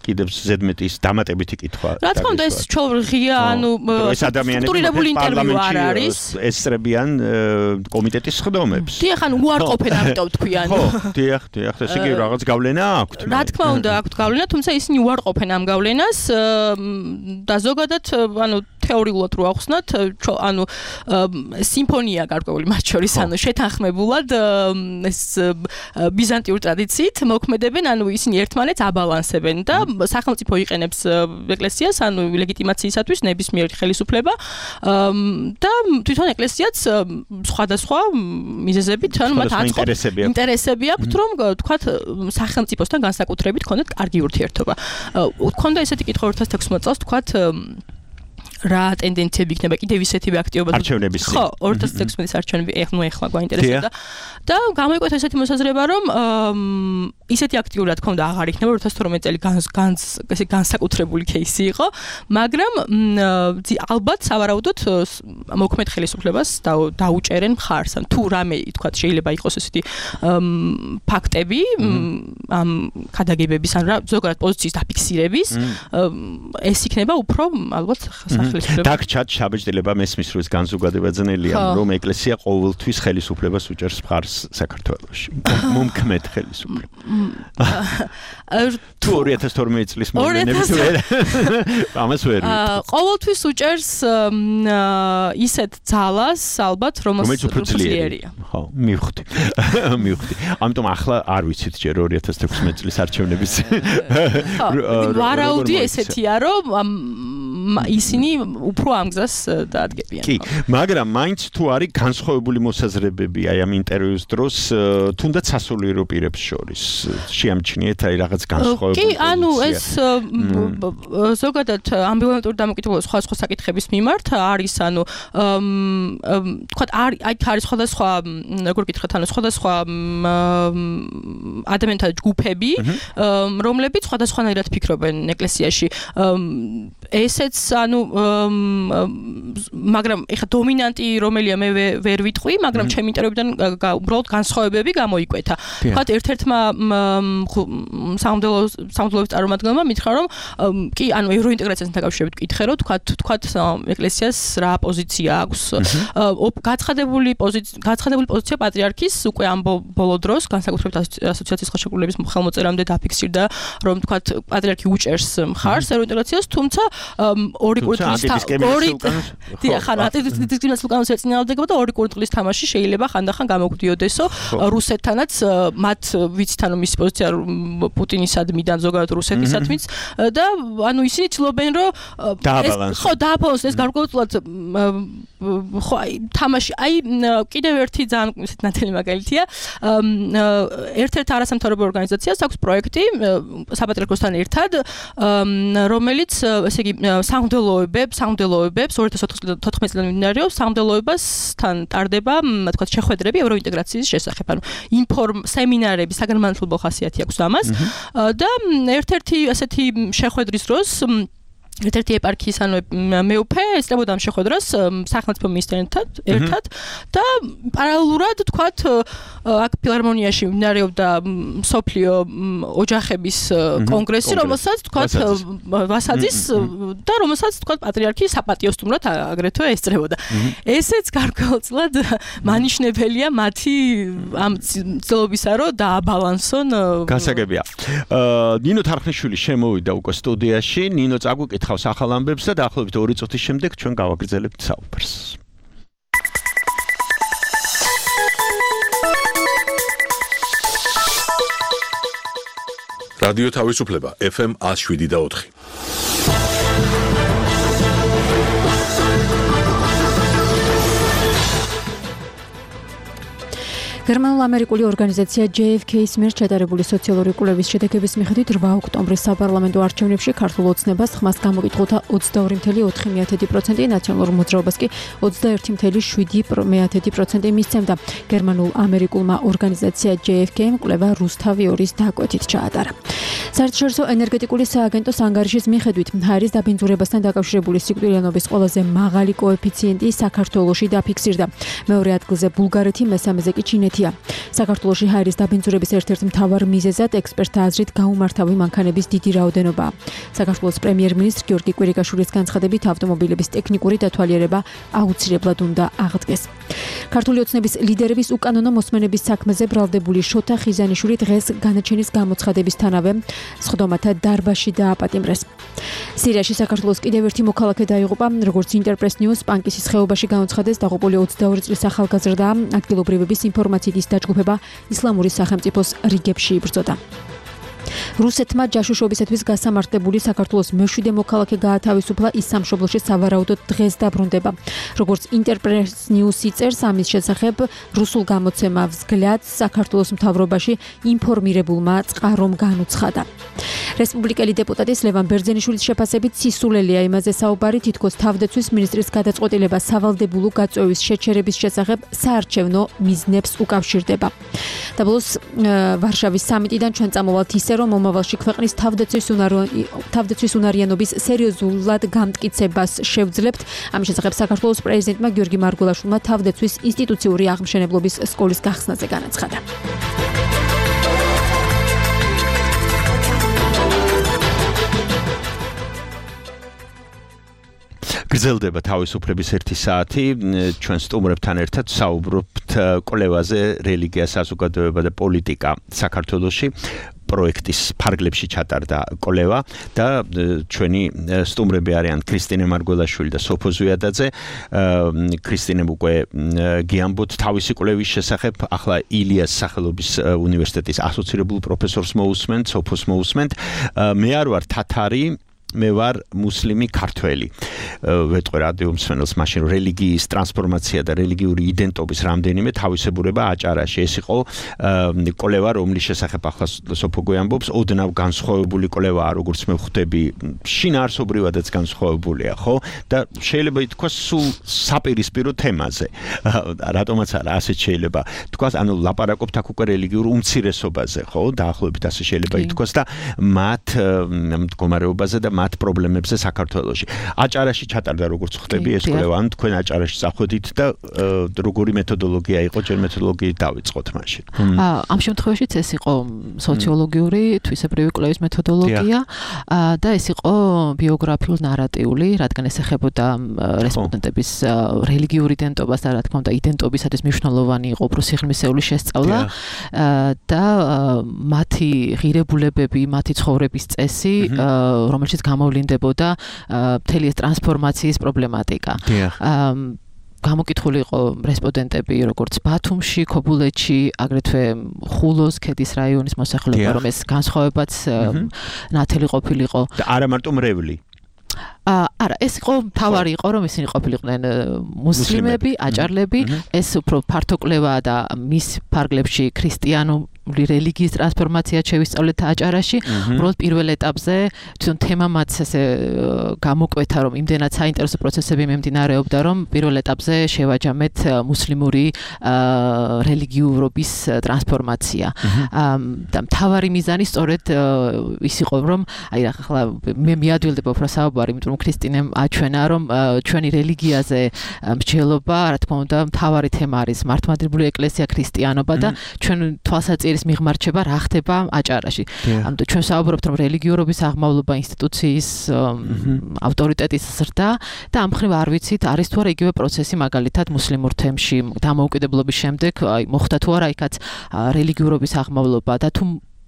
Speaker 4: კიდევ ზედმეტის დამატებითი კითხვა.
Speaker 11: რა თქმა უნდა ეს ჩვენ ღია, ანუ სტრუქტურირებული ინტერვიუ არ არის.
Speaker 4: ესწრებიან კომიტეტის სხდომებს.
Speaker 11: დიახ, ანუ უარყოფენ ამიტომ თქვიან.
Speaker 4: ხო, დიახ, დიახ, ესე იგი რაღაც გავლენა აქვთ.
Speaker 11: რა თქმა უნდა აქვთ გავლენა, თუმცა ისინი უარყოფენ ამ გავლენას და ზოგადად ანუ თეორიულად რო ახსნათ, ანუ სიმფონია გარკვეული მათ შორის, ანუ შეთანხმებულად ეს ბიზანტიურ ტრადიციით მოქმედებენ, ანუ ისინი ერთმანეთს აბალანსებენ და სახელმწიფო იყენებს ეკლესიას, ანუ ლეგიტიმაციისათვის ნებისმიერი ხელისუფლება და თვითონ ეკლესიაც სხვადასხვა მიზეზებით, ანუ მათ აწყობს ინტერესები აქვთ, რომ თქვათ სახელმწიფოსთან განსაკუთრებით ქონდეთ კარგი ურთიერთობა. ქონდა ესეთი კითხვა ორ ათას თექვსმეტ წელს, თქვათ რა ტენდენციები იქნება კიდევ ისეთივე აქტივობა
Speaker 4: არჩევნების
Speaker 11: ხო ორ ათას თექვსმეტის არჩევნები ეხლა ეხლა გვაინტერესებდა და გამოიკვეთა ესეთი მოსაზრება რომ ისეთი აქტიური რა თქმა უნდა აღარ იქნება ორ ათას თორმეტ წელი ესე განსაკუთრებული кейსი იყო მაგრამ ალბათ სავარაუდოდ მოქმედ ხელისუფლებას დაუჭერენ მხარს ან თუ რამე თქვა შეიძლება იყოს ესეთი ფაქტები ამ ქადაგებების ან რა ზოგადად პოზიციის დაფიქსირების ეს იქნება უფრო ალბათ
Speaker 4: დაგჭათ შაბეჭდილება მესმის როს განზოგადება ძნელია რომ ეკლესია ყოველთვის ხელისუფლებას უჭერს მხარს საქართველოში მომქმედ ხელისუფლებას თუ ორი ათას თორმეტ წლის მოვლენებით ვერ ამას ვერ
Speaker 11: ყოველთვის უჭერს ისეთ ძალას ალბათ რომელიც უფრო ძლიერია
Speaker 4: ხო მივხვდი მივხვდი ამიტომ ახლა არ ვიცით ჯერ ორი ათას თექვსმეტ წლის არჩევნების
Speaker 11: ვარაუდი ესეთია რომ ისინი უფრო ამ გზას დაადგებიან.
Speaker 4: კი, მაგრამ მაინც თუ არის განსხვავებული მოსაზრებები აი ამ ინტერვიუს დროს, თუნდაც სასულიერო პირებს შორის შეამჩნიეთ აი რაღაც განსხვავებული.
Speaker 11: კი, ანუ ეს ზოგადად ამბივალენტური დამოკიდებულება სხვა სხვა საკითხების მიმართ არის, ანუ თქვა არის აი არის სხვადასხვა როგორ გითხრათ, ანუ სხვადასხვა ადამიანთა ჯგუფები, რომლებიც სხვადასხვანაირად ფიქრობენ ეკლესიაში. ესეც ანუ მაგრამ ეხა დომინანტი რომელია მე ვერ ვიტყვი, მაგრამ ჩემი ინტერვიუდან უბრალოდ განსხვავებები გამოიკვეთა. თქვათ ერთ-ერთმა სამღვდელოს წარმომადგენელმა მითხრა რომ კი ანუ ევროინტეგრაციასთან დაკავშირებით კითხე რომ თქვათ თქვათ ეკლესიას რა პოზიცია აქვს. გაცხადებული პოზიცია გაცხადებული პოზიცია პატრიარქის უკვე ამ ბოლო დროს განსაკუთრებით ასოციაციის ხელშეკრულების ხელმოწერამდე დაფიქსირდა რომ თქვათ პატრიარქი უჭერს მხარს ევროინტეგრაციას, თუმცა ორი კურთხლის ორი დიახ ან დისკრიმინაციულ კანონს ეწინააღმდეგება და ორი კურთხლის თამაში შეიძლება ხანდახან გამოგვდიოდესო რუსეთთანაც მათ ვიცით ანუ მისი პოზიცია პუტინისადმიდან ზოგადად რუსეთისადმიც და ანუ ისინი ცდილობენ რომ ხო დააბალანსოს ეს გარკვეულად ხო აი თამაში აი კიდევ ერთი ძალიან ისეთ ნათელი მაგალითია ერთ-ერთ არასამთავრობო ორგანიზაციას აქვს პროექტი საპატრიარქოსთან ერთად რომელიც ესე იგი სამღვდელოებებს, სამღვდელოებებს ორი ათას ოთხ წლიდან მიმდინარეობს სამღვდელოებასთან ტარდება, თქვა შეხვედრები ევროინტეგრაციის შესახებ, ანუ ინფორმ სემინარები, საგანმანათლებლო ხასიათი აქვს ამას და ერთ-ერთი ასეთი შეხვედრის დროს ერთ-ერთი ეპარქიის ანუ მეუფე ესწრებოდა ამ შეხვედრას სახელმწიფო მინისტრთან ერთად და პარალელურად თქვათ აქ ფილარმონიაში მიმდინარეობდა სოფლიო ოჯახების კონგრესი, რომელსაც თქვათ ვასაძის და რომელსაც თქვათ პატრიარქი საპატიო სტუმრად აგრეთვე ესწრებოდა. ესეც გარკვეულწილად მანიშნებელია მათი ამ ცდილობისა, რომ დააბალანსონ.
Speaker 4: გასაგებია. ნინო თარხნიშვილი შემოვიდა უკვე სტუდიაში. ნინო წაგვიკითხავს ახალ ამბებს და დაახლოებით ორი წუთის შემდეგ ჩვენ გავაგრძელებთ საუბარს.
Speaker 1: რადიო თავისუფლება ეფ ემ one oh seven და four.
Speaker 5: გერმანულ-ამერიკული ორგანიზაცია ჯეი ეფ კეის მიერ ჩატარებული სოციალური კვლევის შედეგების მიხედვით რვა ოქტომბრის საპარლამენტო არჩევნებში ქართულ ოცნებას ხმას გამოკითხულთა ოცდაორი წუთი ოთხი პროცენტი, ნაციონალურ მოძრაობას კი ოცდაერთი წუთი შვიდი პროცენტი მისცემდა. გერმანულ-ამერიკულმა ორგანიზაცია ჯეი ეფ კეიმ კვლევა რუსთავი ორის დაკვეთით ჩაატარა. საერთაშორისო ენერგეტიკული სააგენტოს ანგარიშის მიხედვით ჰაერის დაბინძურებასთან დაკავშირებული სიკვდილიანობის ყველაზე მაღალი კოეფიციენტი საქართველოში დაფიქსირდა. მეორე ადგილზე ბულგარეთი, მესამეზე კი ჩინეთი. საქართველოში ჰაერის დაბინძურების ერთ-ერთ მთავარ მიზეზად ექსპერტთა აზრით გაუმართავი მანქანების დიდი რაოდენობაა. საქართველოს პრემიერ-მინისტრ გიორგი კვირიკაშვილის განცხადებით ავტომობილების ტექნიკური დათვალიერება აუცილებლად უნდა აღდგეს. ქართული ოცნების ლიდერების უკანონო მოსმენების საქმეზე ბრალდებული შოთა ხიზანიშვილი დღეს განაჩენის გამოცხადებისთანავე სხდომათა დარბაზში დააპატიმრეს. სირიაში საქართველოს კიდევ ერთი მოქალაქე დაიღუპა, როგორც ინტერპრეს ნიუს პანკისის ხეობაში გამოცხადეს, დაღუპული ოცდაორი წლის ახალგაზრდა ადგილობრივების ინფორმაციით დაჯგუფება ისლამური სახელმწიფოს რიგებში იბრძოდა. რუსეთმა ჯაშუშობისათვის გასამართლებული საქართველოს მეშვიდე მოქალაქე გაათავისუფლა, ის სამშობლოში სავარაუდოდ დღეს დაბრუნდება. როგორც ინტერპრეს ნიუსი წერს, ამის შესახებ რუსულ გამოცემა взгляд საქართველოს მთავრობაში ინფორმირებულმა წყარომ განუცხადა. რესპუბლიკელი დეპუტატის ლევან ბერძენიშვილის შეფასებით სისულელია იმაზე საუბარი, თითქოს თავდაცვის მინისტრის გადაწყვეტილება სავალდებულო გაწვევის შეჩერების შესახებ საარჩევნო მიზნებს უკავშირდება. და ბოლოს ვარშავის სამიტიდან ჩვენ წამოვალთ ისე, რომ მომავალში ქვეყნის თავდაცვის თავდაცვის უნარიანობის სერიოზულად გამტკიცებას შევძლებთ. ამის შესახებ საქართველოს პრეზიდენტმა გიორგი მარგველაშვილმა თავდაცვის ინსტიტუციური აღმშენებლობის სკოლის გახსნაზე განაცხადა.
Speaker 4: გრძელდება თავისუფლების ერთი საათი. ჩვენ სტუმრებთან ერთად საუბრობთ კვლევაზე რელიგია, საზოგადოება და პოლიტიკა საქართველოში. პროექტის ფარგლებში ჩატარდა კვლევა და ჩვენი სტუმრები არიან ქრისტინე მარგველაშვილი და სოფო ზვიადაძე. ქრისტინემ უკვე გიამბოთ თავისი კვლევის შესახებ, ახლა ილიას სახელობის უნივერსიტეტის ასოცირებულ პროფესორს მოусმენთ, სოფოს მოусმენთ. მე არ ვარ თათარი, მე ვარ მუსლიმი ქართველი. ვეტყვი რადიო მსმენელს მაშინ რელიგიის ტრანსფორმაცია და რელიგიური იდენტობის რამდენიმე თავისებურება აჭარაში. ეს იყო კვლევა, რომლის შესახებ ახლა სოფო გვიამბობს, ოდნავ განსხვავებული კვლევაა, როგორც მე ვხვდები, შინაარსობრივადაც განსხვავებულია, ხო? და შეიძლება ითქვას სულ საპირისპირო თემაზე. რატომაც არა, ასეც შეიძლება თქვას, ანუ ლაპარაკობთ აქ უკვე რელიგიურ უმცირესობაზე, ხო? დაახლოებით ასე შეიძლება ითქვას და მათ მდგომარეობაზე და მათ პრობლემებზე საქართველოში. აჭარაში ჩატარდა, როგორც ხვდები, ეს კვლევა, ან თქვენ აჭარაში წახვედით და როგორი მეთოდოლოგია იყო, ჯერ მეთოდოლოგიით დავიწყოთ მაშინ.
Speaker 12: ამ შემთხვევაშიც ეს იყო სოციოლოგიური, თვისებრივი კვლევის მეთოდოლოგია და ეს იყო ბიოგრაფიულ ნარატიული, რადგან ეს ეხებოდა რესპონდენტების რელიგიურ იდენტობას და რა თქმა უნდა იდენტობისათვის მნიშვნელოვანი იყო უფრო სიღრმისეული შესწავლა და მათი ღირებულებები, მათი ცხოვრების წესი, რომელშიც გამოვლინდებოდა მთელი ეს ტრანსფორმაციის პრობლემატიკა. გამოკითხული იყო რესპონდენტები როგორც ბათუმში, ქობულეთში, აგრეთვე ხულოს ქედის რაიონის მოსახლეობა, რომ ეს განსხვავებაც ნათელი ყოფილიყო.
Speaker 4: და არა მარტო მრევლი.
Speaker 12: არა, ეს იყო თავარი იყო, რომ ისინი ყოფილიყვნენ მუსლიმები, აჭარლები, ეს უფრო ფართო კვლევაა და მის ფარგლებში ქრისტიანო რელიგიის ტრანსფორმაცია შევისწავლეთ აჭარაში, უბრალოდ პირველ ეტაპზე თვითონ თემა მათ ესე გამოკვეთა, რომ იმდენად საინტერესო პროცესები მიმდინარეობდა, რომ პირველ ეტაპზე შევაჯამეთ მუსლიმური რელიგიურობის ტრანსფორმაცია. და მთავარი მიზანი სწორედ ის იყო, რომ აი ახლა მე მიადვილდება უფრო საუბარი, იმიტომ რომ ქრისტინემ აჩვენა, რომ ჩვენი რელიგიაზე მსჯელობა, რა თქმა უნდა, მთავარი თემა არის მართლმადიდებლური ეკლესია, ქრისტიანობა და ჩვენ თვალსაჩინოს მიღმარჩება რა ხდება აჭარაში. ანუ ჩვენ საუბრობთ, რომ რელიგიურობის აღმავლობა ინსტიტუციის ავტორიტეტის ზრდა და ამ მხრივ არ ვიცით, არის თუ არა იგივე პროცესი მაგალითად მუსლიმურ თემში დამოუკიდებლობის შემდეგ, აი მოხდა თუ არა იქაც რელიგიურობის აღმავლობა და თუ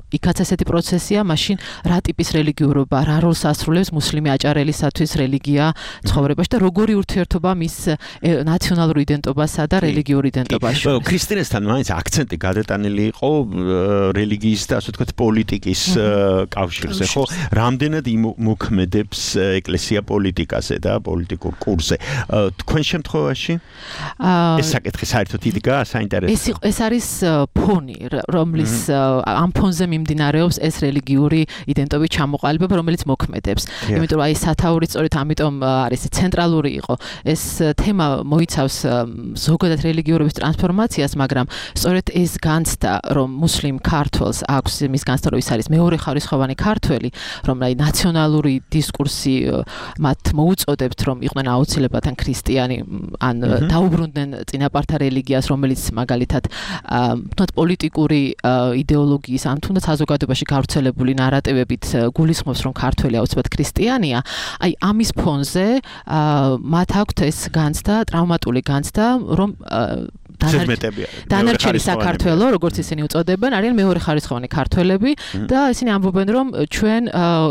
Speaker 12: იქაც ესეთი პროცესია, მაშინ რა ტიპის რელიგიურობა, რა როლს ასრულებს მუსლიმი აჭარელისათვის რელიგია ცხოვრებაში და როგორი ურთიერთობა მის ნაციონალურ იდენტობასა და რელიგიურ იდენტობაში.
Speaker 4: ქრისტიანესთან მაინც აქცენტი გადატანილი იყო რელიგიის და ასე ვთქვათ პოლიტიკის კავშირზე, ხო? რამდენად მოქმედებს ეკლესია პოლიტიკაზე და პოლიტიკურ კურსზე. თქვენ შემთხვევაში ეს საკითხი საერთოდ იდგა საინტერესო.
Speaker 12: ეს არის ფონი, რომლის ამ ფონზე მიმდინარეობს ეს რელიგიური იდენტობის ჩამოყალიბება, რომელიც მოქმედებს. იმიტომ რომ აი სათაური სწორედ ამიტომ არის ცენტრალური იყო. ეს თემა მოიცავს ზოგადად რელიგიურობის ტრანსფორმაციას, მაგრამ სწორედ ეს განცდა, რომ მუსლიმ ქართველს აქვს მის განცდა, რომ ის არის მეორე ხარისხოვანი ქართველი, რომ აი ნაციონალური დისკურსი მათ მოუწოდებთ, რომ იყვნენ აუცილებლად ან ქრისტიანი, ან დაუბრუნდნენ წინაპართა რელიგიას, რომელიც მაგალითად თუნდაც პოლიტიკური იდეოლოგიის ან თუნდაც საზოგადოებაში გავრცელებული ნარატივებით გულისხმობს, რომ ქართველი აუცილებლად ქრისტიანია. აი ამის ფონზე მათ აქვთ ეს განცდა, ტრავმატული განცდა, რომ დანარჩენი საქართველო, როგორც ისინი უწოდებენ, არიან მეორე ხარისხოვანი ქართველები და ისინი ამბობენ, რომ ჩვენ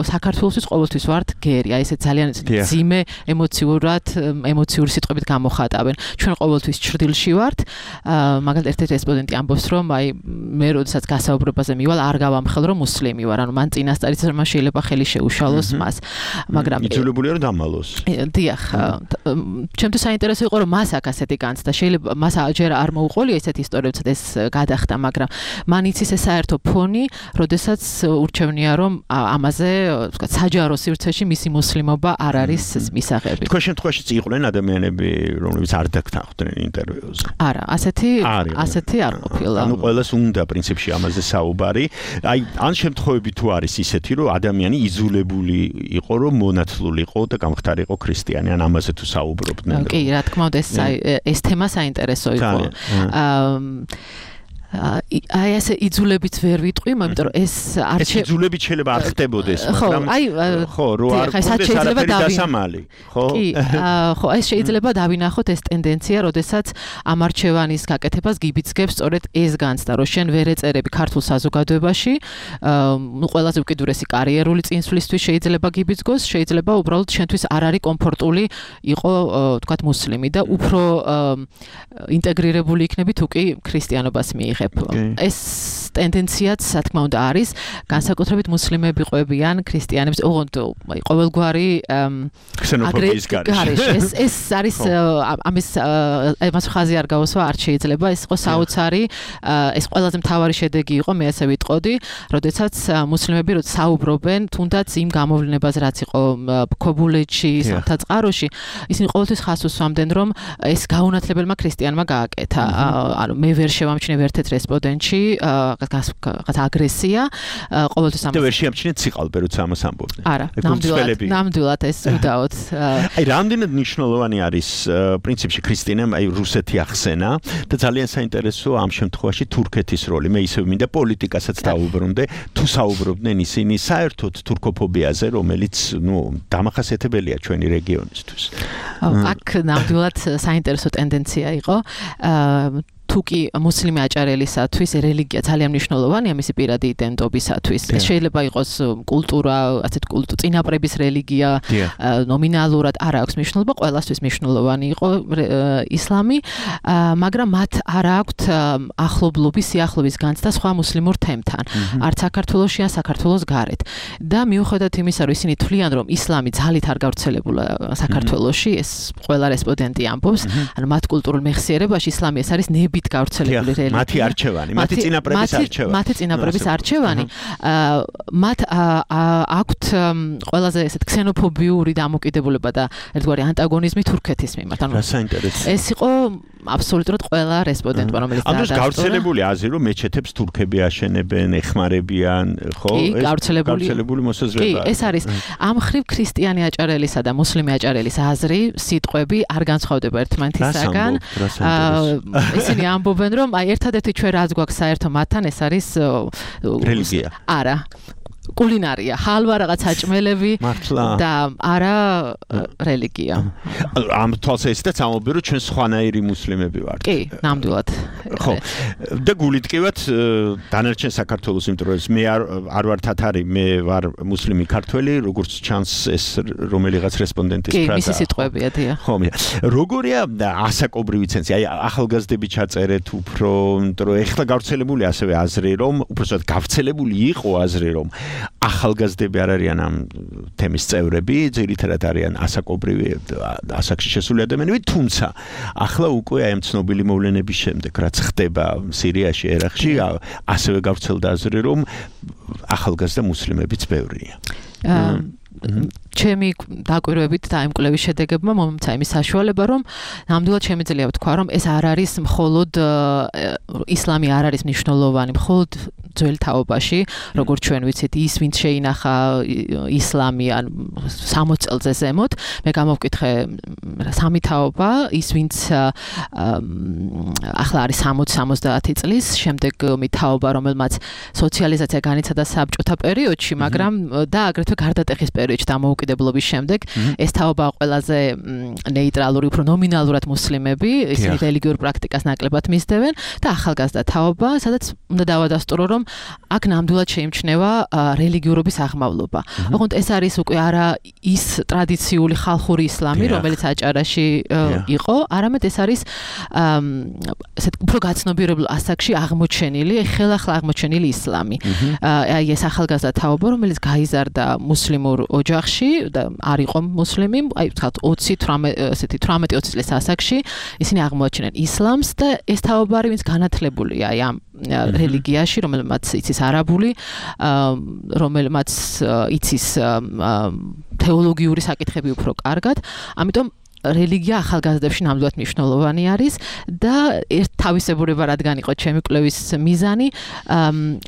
Speaker 12: საქართველოსთვის ყოველთვის ვართ გერი. აი ესე ძალიან ძიმე ემოციურად, ემოციური სიტყვებით გამოხატავენ. ჩვენ ყოველთვის ჭრდილში ვართ. მაგალითად ერთ-ერთი რესპონდენტი ამბობს, რომ აი მე როდესაც გასაუბრებაზე მივალ, არ გავამხელ, რომ მუსლიმი ვარ. ანუ მან წინასწარიც რომ შეიძლება ხელი შეუშალოს მას. მაგრამ
Speaker 4: იძულებულია რომ დამალოს.
Speaker 12: დიახ. ჩემთვის საინტერესო იყო, რომ მას აქ ასეთი განცდა. შეიძლება მას ჯერ არ მოუყოლია ესეთი ისტორიებიც ეს გადახდა, მაგრამ მან იცის ეს საერთო ფონი, როდესაც ურჩევნია, რომ ამაზე, ვთქვათ, საჯარო სივრცეში მისი მუსლიმობა არ არის მისაღები.
Speaker 4: თქვენ შემთხვევაშიც იყვნენ ადამიანები, რომლებიც არ დაგთანხმდნენ ინტერვიუზე?
Speaker 12: არა, ასეთი ასეთი არ ყოფილა.
Speaker 4: ანუ ყველას უნდა პრინციპში ამაზე საუბარი. აი, ან შემთხვევები თუ არის ისეთი, რომ ადამიანი იზოლებული იყო, რომ მონათლულიყო და გამხდარიყო ქრისტიანი, ან ამაზე თუ საუბრობდნენ.
Speaker 12: კი, რა თქმა უნდა, ეს ეს თემა საინტერესო იყო. Um აი ეს იძულებით ვერ ვიტყვი, მაგრამ ეს არჩე
Speaker 4: იძულებით შეიძლება არ ხდებოდეს, მაგრამ ხო, რო არ გქონდეს არაფერი დასამალი, ხო?
Speaker 12: კი, ხო, ეს შეიძლება დავინახოთ ეს ტენდენცია, როდესაც ამ არჩევანის გაკეთებას გიბიძგებს სწორედ ეს განცდა, რომ შენ ვერ ეწერები ქართულ საზოგადოებაში, ნუ ყველაზე უკიდურესი კარიერული წინსვლისთვის შეიძლება გიბიძგოს, შეიძლება უბრალოდ შენთვის არ არის კომფორტული იყო, თქვათ, მუსლიმი და უფრო ინტეგრირებული იქნები თუ კი ქრისტიანობას მიიღებ. ეს ტენდენციაც, რა თქმა უნდა, არის განსაკუთრებით მუსლიმები ყვებიან ქრისტიანებს, ოღონდ ყოველგვარი
Speaker 4: ქსენოფობიის
Speaker 12: გარეშე. ეს ეს არის ამის ამას ხაზი არ გავუსვა, არ შეიძლება, ეს იყო საოცარი, ეს ყველაზე მთავარი შედეგი იყო, მე ასე ვიტყოდი, როდესაც მუსლიმები როცა საუბრობენ, თუნდაც იმ გამოვლენებას, რაც იყო ქობულეთში, სამთაწყაროში, ისინი ყოველთვის ხაზს უსვამდნენ, რომ ეს გაუნათლებელმა ქრისტიანმა გააკეთა. ანუ მე ვერ შევამჩნევ ერთ-ერთ რესპონდენტში რაღაც აგრესია, ყოველთვის ამას.
Speaker 4: და ვერ შეამჩნიეთ სიყალბე, როცა ამას ამბობდნენ.
Speaker 12: არა, ნამდვილად, ნამდვილად ეს უდაოდ.
Speaker 4: აი, რამდენად მნიშვნელოვანი არის პრინციპში ქრისტიანამ აი რუსეთი ახსენა და ძალიან საინტერესოა ამ შემთხვევაში თურქეთის როლი. მე ისევ მინდა პოლიტიკასაც დაუბრუნდე, თუ საუბრობდნენ ისინი საერთოდ თურქოფობიაზე, რომელიც, ნუ, დამახასიათებელია ჩვენი რეგიონისთვის.
Speaker 12: აქ ნამდვილად საინტერესო ტენდენცია იყო. თუკი მუსლიმი აჭარელისათვის რელიგია ძალიან მნიშვნელოვანია მისი პირადი იდენტობისათვის. ეს შეიძლება იყოს კულტურა, ასეთ კულტურა, წინაპრების რელიგია, ნომინალურად არ აქვს მნიშვნელობა, ყველასთვის მნიშვნელოვანი იყო ისლამი, მაგრამ მათ არ აქვთ ახლობლობის, სიახლოვის განცდა სხვა მუსლიმურ თემთან, არც საქართველოში, ან საქართველოს გარეთ. და მიუხედავად იმისა, რომ ისინი თვლიან, რომ ისლამი ძალით არ გავრცელებულა საქართველოში, ეს ყველა რესპონდენტი ამბობს, ანუ მათ კულტურულ მეხსიერებაში ისლამი ეს არის ნებით მათით გავრცელებული რელიგია.
Speaker 4: მათი არჩევანი, მათი წინაპრების არჩევანი.
Speaker 12: მათი წინაპრების არჩევანი. მათ აქვთ ყველაზე ესეთ ქსენოფობიური დამოკიდებულება და ერთგვარი ანტაგონიზმი თურქეთის მიმართ.
Speaker 4: რა საინტერესო.
Speaker 12: ეს იყო აბსოლუტურად ყველა რესპონდენტმა, რომელიც
Speaker 4: დაადასტურა. ანუ გავრცელებული აზრი, რომ მეჩეთებს თურქები აშენებენ, ეხმარებიან, ხო?
Speaker 12: ეს
Speaker 4: გავრცელებული მოსაზრება.
Speaker 12: კი, ეს არის ამ ხრივ ქრისტიანი აჭარელისა და მუსლიმი აჭარელის აზრი, სიტყვები არ განსხვავდება ერთმანეთისაგან. ისინი ამბობენ, რომ აი ერთადერთი ჩვენ რაც გვაქვს საერთო მათთან, ეს არის
Speaker 4: რელიგია.
Speaker 12: არა. კულინარია, ჰალვა რაღაც საჭმელები და არა რელიგია.
Speaker 4: ამ თვალსაზრისით ამბობენ, რომ ჩვენ სხვანაირი მუსლიმები ვართ.
Speaker 12: კი, ნამდვილად.
Speaker 4: ხო. და გულიტკივად დანარჩენ საქართველოს, იმიტომ რომ მე არ არ ვარ თათარი, მე ვარ მუსლიმი ქართველი, როგორც ჩანს ეს რომელიღაც რესპონდენტის ფრაზა.
Speaker 12: კი, მისი სიტყვებია, დიახ.
Speaker 4: ხო, მე. როგორია ასაკობრივი ცენზი? აი ახალგაზრდები ჩაწერეთ უფრო, იმიტომ რომ ეხლა გავრცელებული ასევე აზრი, რომ უბრალოდ გავრცელებული იყო აზრი, რომ ახალგაზრდები არ არიან ამ თემის წევრები, ძირითადად არიან ასაკობრივი ასაკში შესული ადამიანები, თუმცა ახლა უკვე აი ამ ცნობილი მოვლენების შემდეგ, რაც ხდება სირიაში, ერაყში, ასევე გავრცელდა აზრი, რომ ახალგაზრდა მუსლიმებიც ბევრია. ჩემი დაკვირვებით და იმ კვლევის შედეგებმა მომცა იმის საშუალება, რომ ნამდვილად შემიძლია ვთქვა, რომ ეს არ არის მხოლოდ ისლამი არ არის მნიშვნელოვანი, მხოლოდ ძველ თაობაში, როგორც ჩვენ ვიცით, ის ვინც შეინახა ისლამი ან სამოც წელზე ზემოთ, მე გამოვკითხე სამი თაობა, ის ვინც ახლა არის სამოცი სამოცდაათი წლის, შემდეგი თაობა, რომელმაც სოციალიზაცია განიცადა საბჭოთა პერიოდში, მაგრამ და აგრეთვე გარდატეხის პერიოდში დამოუკიდებლობის შემდეგ, ეს თაობა ყველაზე ნეიტრალური, უფრო ნომინალურად მუსლიმები, ისინი რელიგიურ პრაქტიკას ნაკლებად მისდევენ და ახალგაზრდა თაობა, სადაც უნდა დავადასტურო, რომ აქ ნამდვილად შეიმჩნევა რელიგიურობის აღმავლობა. ოღონდ ეს არის უკვე არა ის ტრადიციული ხალხური ისლამი, რომელიც აჭარაში იყო, არამედ ეს არის ესეთ უფრო გაცნობიერებულ ასაკში აღმოჩენილი, ხელახლა აღმოჩენილი ისლამი. აი ეს ახალგაზრდა თაობა, რომელიც გაიზარდა მუსლიმურ ოჯახში და არ იყო მუსლიმი, აი ვთქვათ ოცი ესეთი თვრამეტი ოცი წლის ასაკში, ისინი აღმოაჩენენ ისლამს და ეს თაობა არის, ვინც განათლებულია აი ამ რელიგიაში, რომელმაც იცის არაბული, რომელმაც იცის თეოლოგიური საკითხები უფრო კარგად, ამიტომ რელიგია ახალგაზრდებში ნამდვილად მნიშვნელოვანი არის და ერთ თავისებურება რადგან იყო ჩემი კვლევის მიზანი,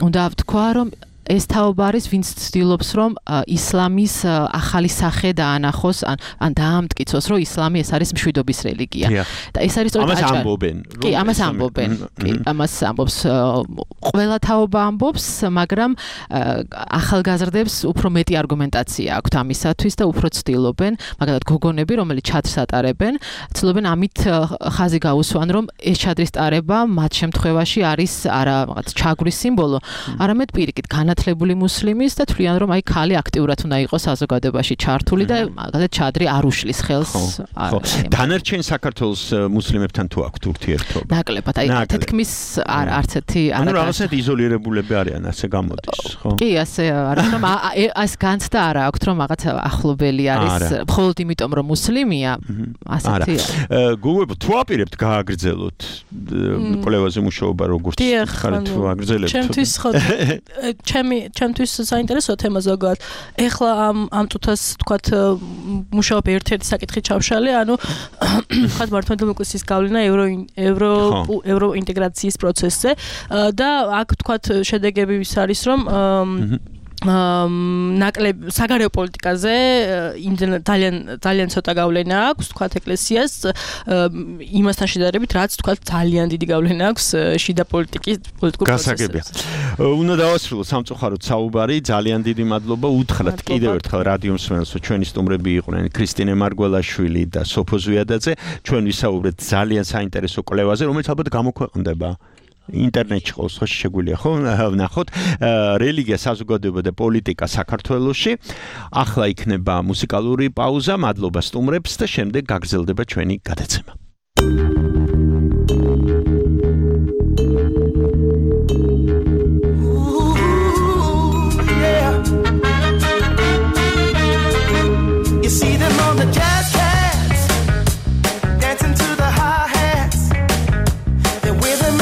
Speaker 4: უნდა ვთქვა, რომ ეს თაობა არის, ვინც ცდილობს, რომ ისლამის ახალი სახე დაანახოს, ან ან დაამტკიცოს, რომ ისლამი ეს არის მშვიდობის რელიგია. და ეს არის სწორედ ამას ამბობენ.
Speaker 12: კი, ამას ამბობენ. კი, ამას ამბობს ყველა თაობა ამბობს, მაგრამ ახალგაზრდებს უფრო მეტი არგუმენტაცია აქვთ ამისათვის და უფრო ცდილობენ, მაგალითად გოგონები, რომელიც ჩადრს ატარებენ, ცდილობენ ამით ხაზი გაუსვან, რომ ეს ჩადრის ტარება მათ შემთხვევაში არის არა რაღაც ჩაგვრის სიმბოლო, არამედ პირიქით განათლებული მუსლიმის და თვლიან, რომ აი ქალი აქტიურად უნდა იყოს საზოგადოებაში ჩართული და მაგალითად ჩადრი არ უშლის ხელს.
Speaker 4: ხო. დანარჩენ საქართველოს მუსლიმებთან თუ აქვთ ურთიერთობა?
Speaker 12: ნაკლებად, აი თითქმის არ არც ერთი არ
Speaker 4: არის. ანუ რაღაცად იზოლირებულები არიან, ასე გამოდის, ხო?
Speaker 12: კი, ასე არის, რომ ეს განცდა არ აქვს, რომ რაღაც ახლობელი არის, მხოლოდ იმიტომ, რომ მუსლიმია, ასეთი.
Speaker 4: გუგო, თუ აპირებთ გააგრძელოთ კვლევაზე მუშაობა, როგორც ხართ თუ აგრძელებთ?
Speaker 11: ჩემთვის ხო ჩემი ჩემთვის საინტერესო თემა ზოგადად. ეხლა ამ ამ წუთას თქვათ მუშაობ ერთ-ერთი საკითხი ჩავშალე, ანუ თქვათ მართლმადიდებლობის გავლენა ევრო ევრო ევრო ინტეგრაციის პროცესზე და აქ თქვათ შედეგები ვის არის, რომ ნაკლებ საგარეო პოლიტიკაზე ძალიან ძალიან ცოტა გავლენა აქვს, თქვათ ეკლესიას იმასთან შედარებით, რაც თქვათ ძალიან დიდი გავლენა აქვს შიდა პოლიტიკის პოლიტიკურ
Speaker 4: პროცესებზე. უნდა დავასრულოთ სამწუხაროდ საუბარი, ძალიან დიდი მადლობა უთხრათ კიდევ ერთხელ რადიო მსმენელს, რომ ჩვენი სტუმრები იყვნენ ქრისტინე მარგველაშვილი და სოფო ზვიადაძე. ჩვენ ვისაუბრეთ ძალიან საინტერესო კვლევაზე, რომელიც ალბათ გამოქვეყნდება ინტერნეტში ყავს, ხო შეგვიძლია ხო ნახოთ რელიგია, საზოგადოება და პოლიტიკა საქართველოში. ახლა იქნება მუსიკალური პაუზა, მადლობა სტუმრებს და შემდეგ გაგრძელდება ჩვენი გადაცემა.
Speaker 13: You see them on the jazz cats dancing to the hi-hats. They're with them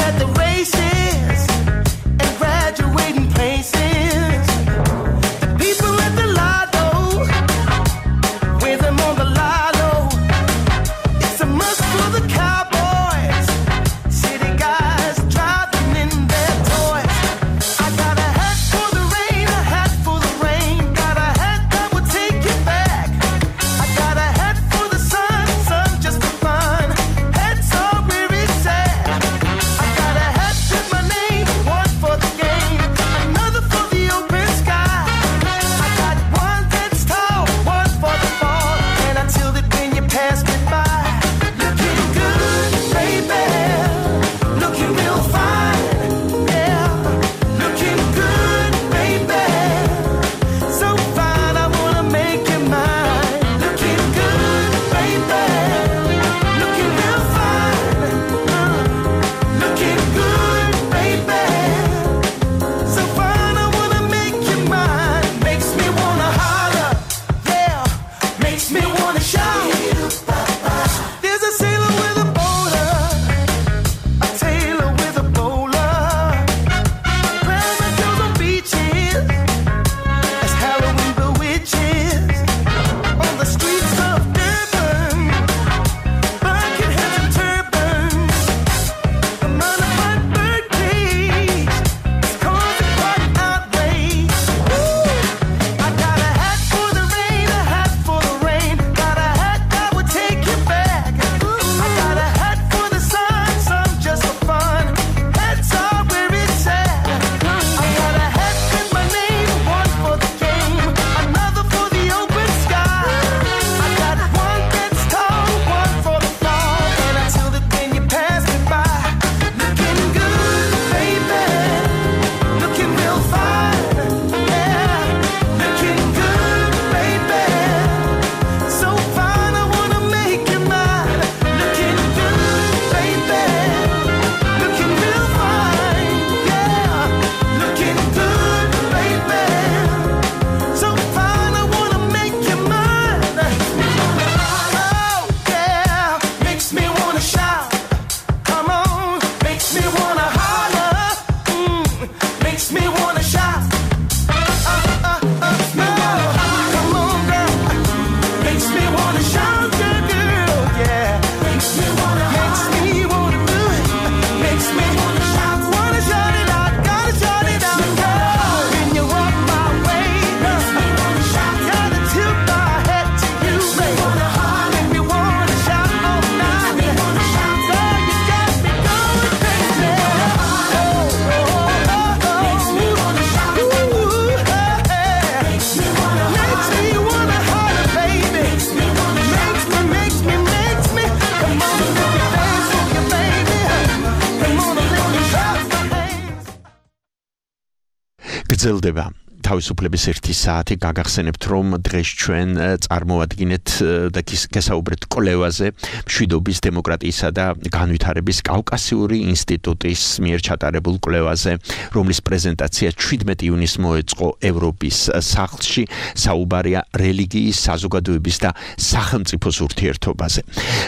Speaker 4: გრძელდება თავისუფლების ერთი საათი გაგახსენებთ რომ დღეს ჩვენ წარმოადგენთ და გესაუბრეთ კვლევაზე მშვიდობის დემოკრატიისა და განვითარების კავკასიური ინსტიტუტის მიერ ჩატარებულ კვლევაზე რომლის პრეზენტაცია შვიდმეტი ივნისს მოეწყო ევროპის სახლში საუბარია რელიგიის საზოგადოების და სახელმწიფოს ურთიერთობაზე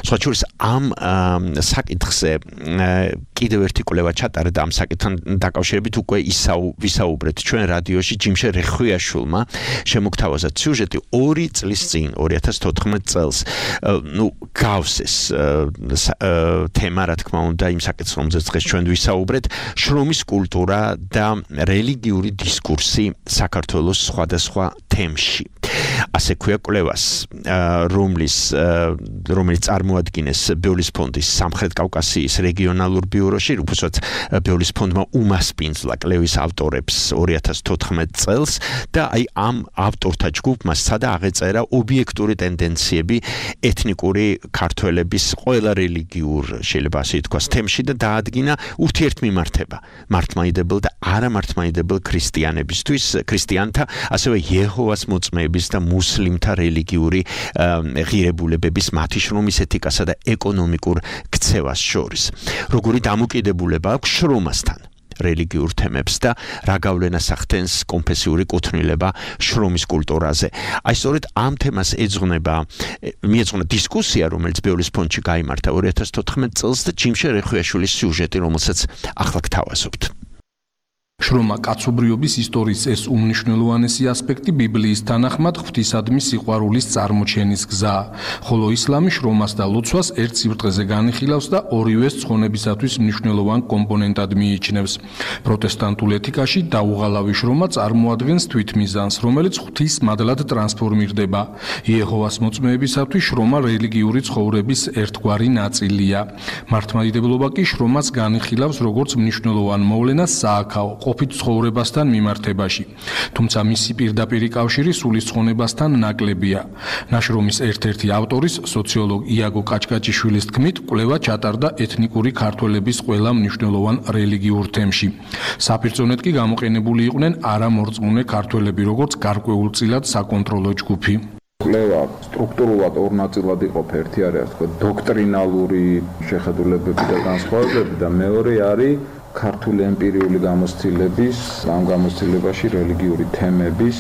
Speaker 4: სხვა შორის ამ საკითხზე კიდევ ერთი კვლევა ჩატარდა ამ საკითხთან დაკავშირებით უკვე ვისაუბრეთ ჩვენ რადიოში ჯიმშე რეხვიაშვილმა შემოგთავაზა სიუჟეტი ორი წლის წინ ორი ათას თოთხმეტ წელს ნუ გავსეს თემა რა თქმა უნდა იმ საკითხს რომელზეც დღეს ჩვენ ვისაუბრეთ შრომის კულტურა და რელიგიური დისკურსი საქართველოს სხვადასხვა თემში ასე ქვია კვლევას რომლის რომელიც წარმოადგენს ბეოლის ფონდის სამხრეთ კავკასიის რეგიონალურ ბიუროში უბრალოდ ბეოლის ფონდმა უმასპინძლა კვლევის ავტორებს ორი ათას თოთხმეტ წელს და აი ამ ავტორთა ჯგუფმა სადა აღეწერა ობიექტური ტენდენციები ეთნიკური ქართველების ყველა რელიგიურ შეიძლება ასე ითქვას თემში და დაადგინა ურთიერთმიმართება მართლმადიდებელ და არამართლმადიდებელ ქრისტიანებისთვის ქრისტიანთა ასევე იეჰოვას მოწმეების და მუსლიმთა რელიგიური ღირებულებების მათი შრომის ეთიკასა და ეკონომიკურ ქცევას შორის როგორი დამოკიდებულება აქვს შრომასთან რელიგიურ თემებს და რა გავლენას ახდენს კონფესიური კუთვნილება შრომის კულტურაზე. აი სწორედ ამ თემას ეძღვნება მიეძღვნა დისკუსია, რომელიც ბეოლის ფონდში გაიმართა ორი ათას თოთხმეტ წელს და ჯიმშე რეხვიაშვილის სიუჟეტი, რომელსაც ახლა გთავაზობთ.
Speaker 14: შრომა კაცობრიობის ისტორიის ეს უმნიშვნელოვანესი ასპექტი ბიბლიის თანახმად ღვთისადმი სიყვარულის წარმოჩენის გზაა, ხოლო ისლამი შრომას და ლოცვას ერთ სიბრტყეზე განიხილავს და ორივეს ცხონებისათვის მნიშვნელოვან კომპონენტად მიიჩნევს. პროტესტანტულ ეთიკაში დაუღალავი შრომა წარმოადგენს თვითმიზანს, რომელიც ღვთის მადლად ტრანსფორმირდება. იეჰოვას მოწმეებისათვის შრომა რელიგიური ცხოვრების ერთგვარი ნაწილია. მართლმადიდებლობა კი შრომას განიხილავს როგორც მნიშვნელოვან მოვლენას სააქაო ყოფით ცხოვრებასთან მიმართებაში. თუმცა მისი პირდაპირი კავშირი სულისცხონებასთან ნაკლებია. ნაშრომის ერთ-ერთი ავტორის სოციოლოგ იაგო კაჭკაჭიშვილის თქმით, კვლევა ჩატარდა ეთნიკური ქართველების ყველა მნიშვნელოვან რელიგიურ თემში. საფირწონედ კი გამოყენებული იყვნენ არამორწმუნე ქართველები, როგორც გარკვეულწილად საკონტროლო ჯგუფი.
Speaker 7: კვლევა სტრუქტურულად ორ ნაწილად იყოფა. ერთი არის თქვა დოქტრინალური შეხედულებები და განსხვავებები და მეორე არის ქართული ემპირიული გამოცდილების, ამ გამოცდილებაში რელიგიური თემების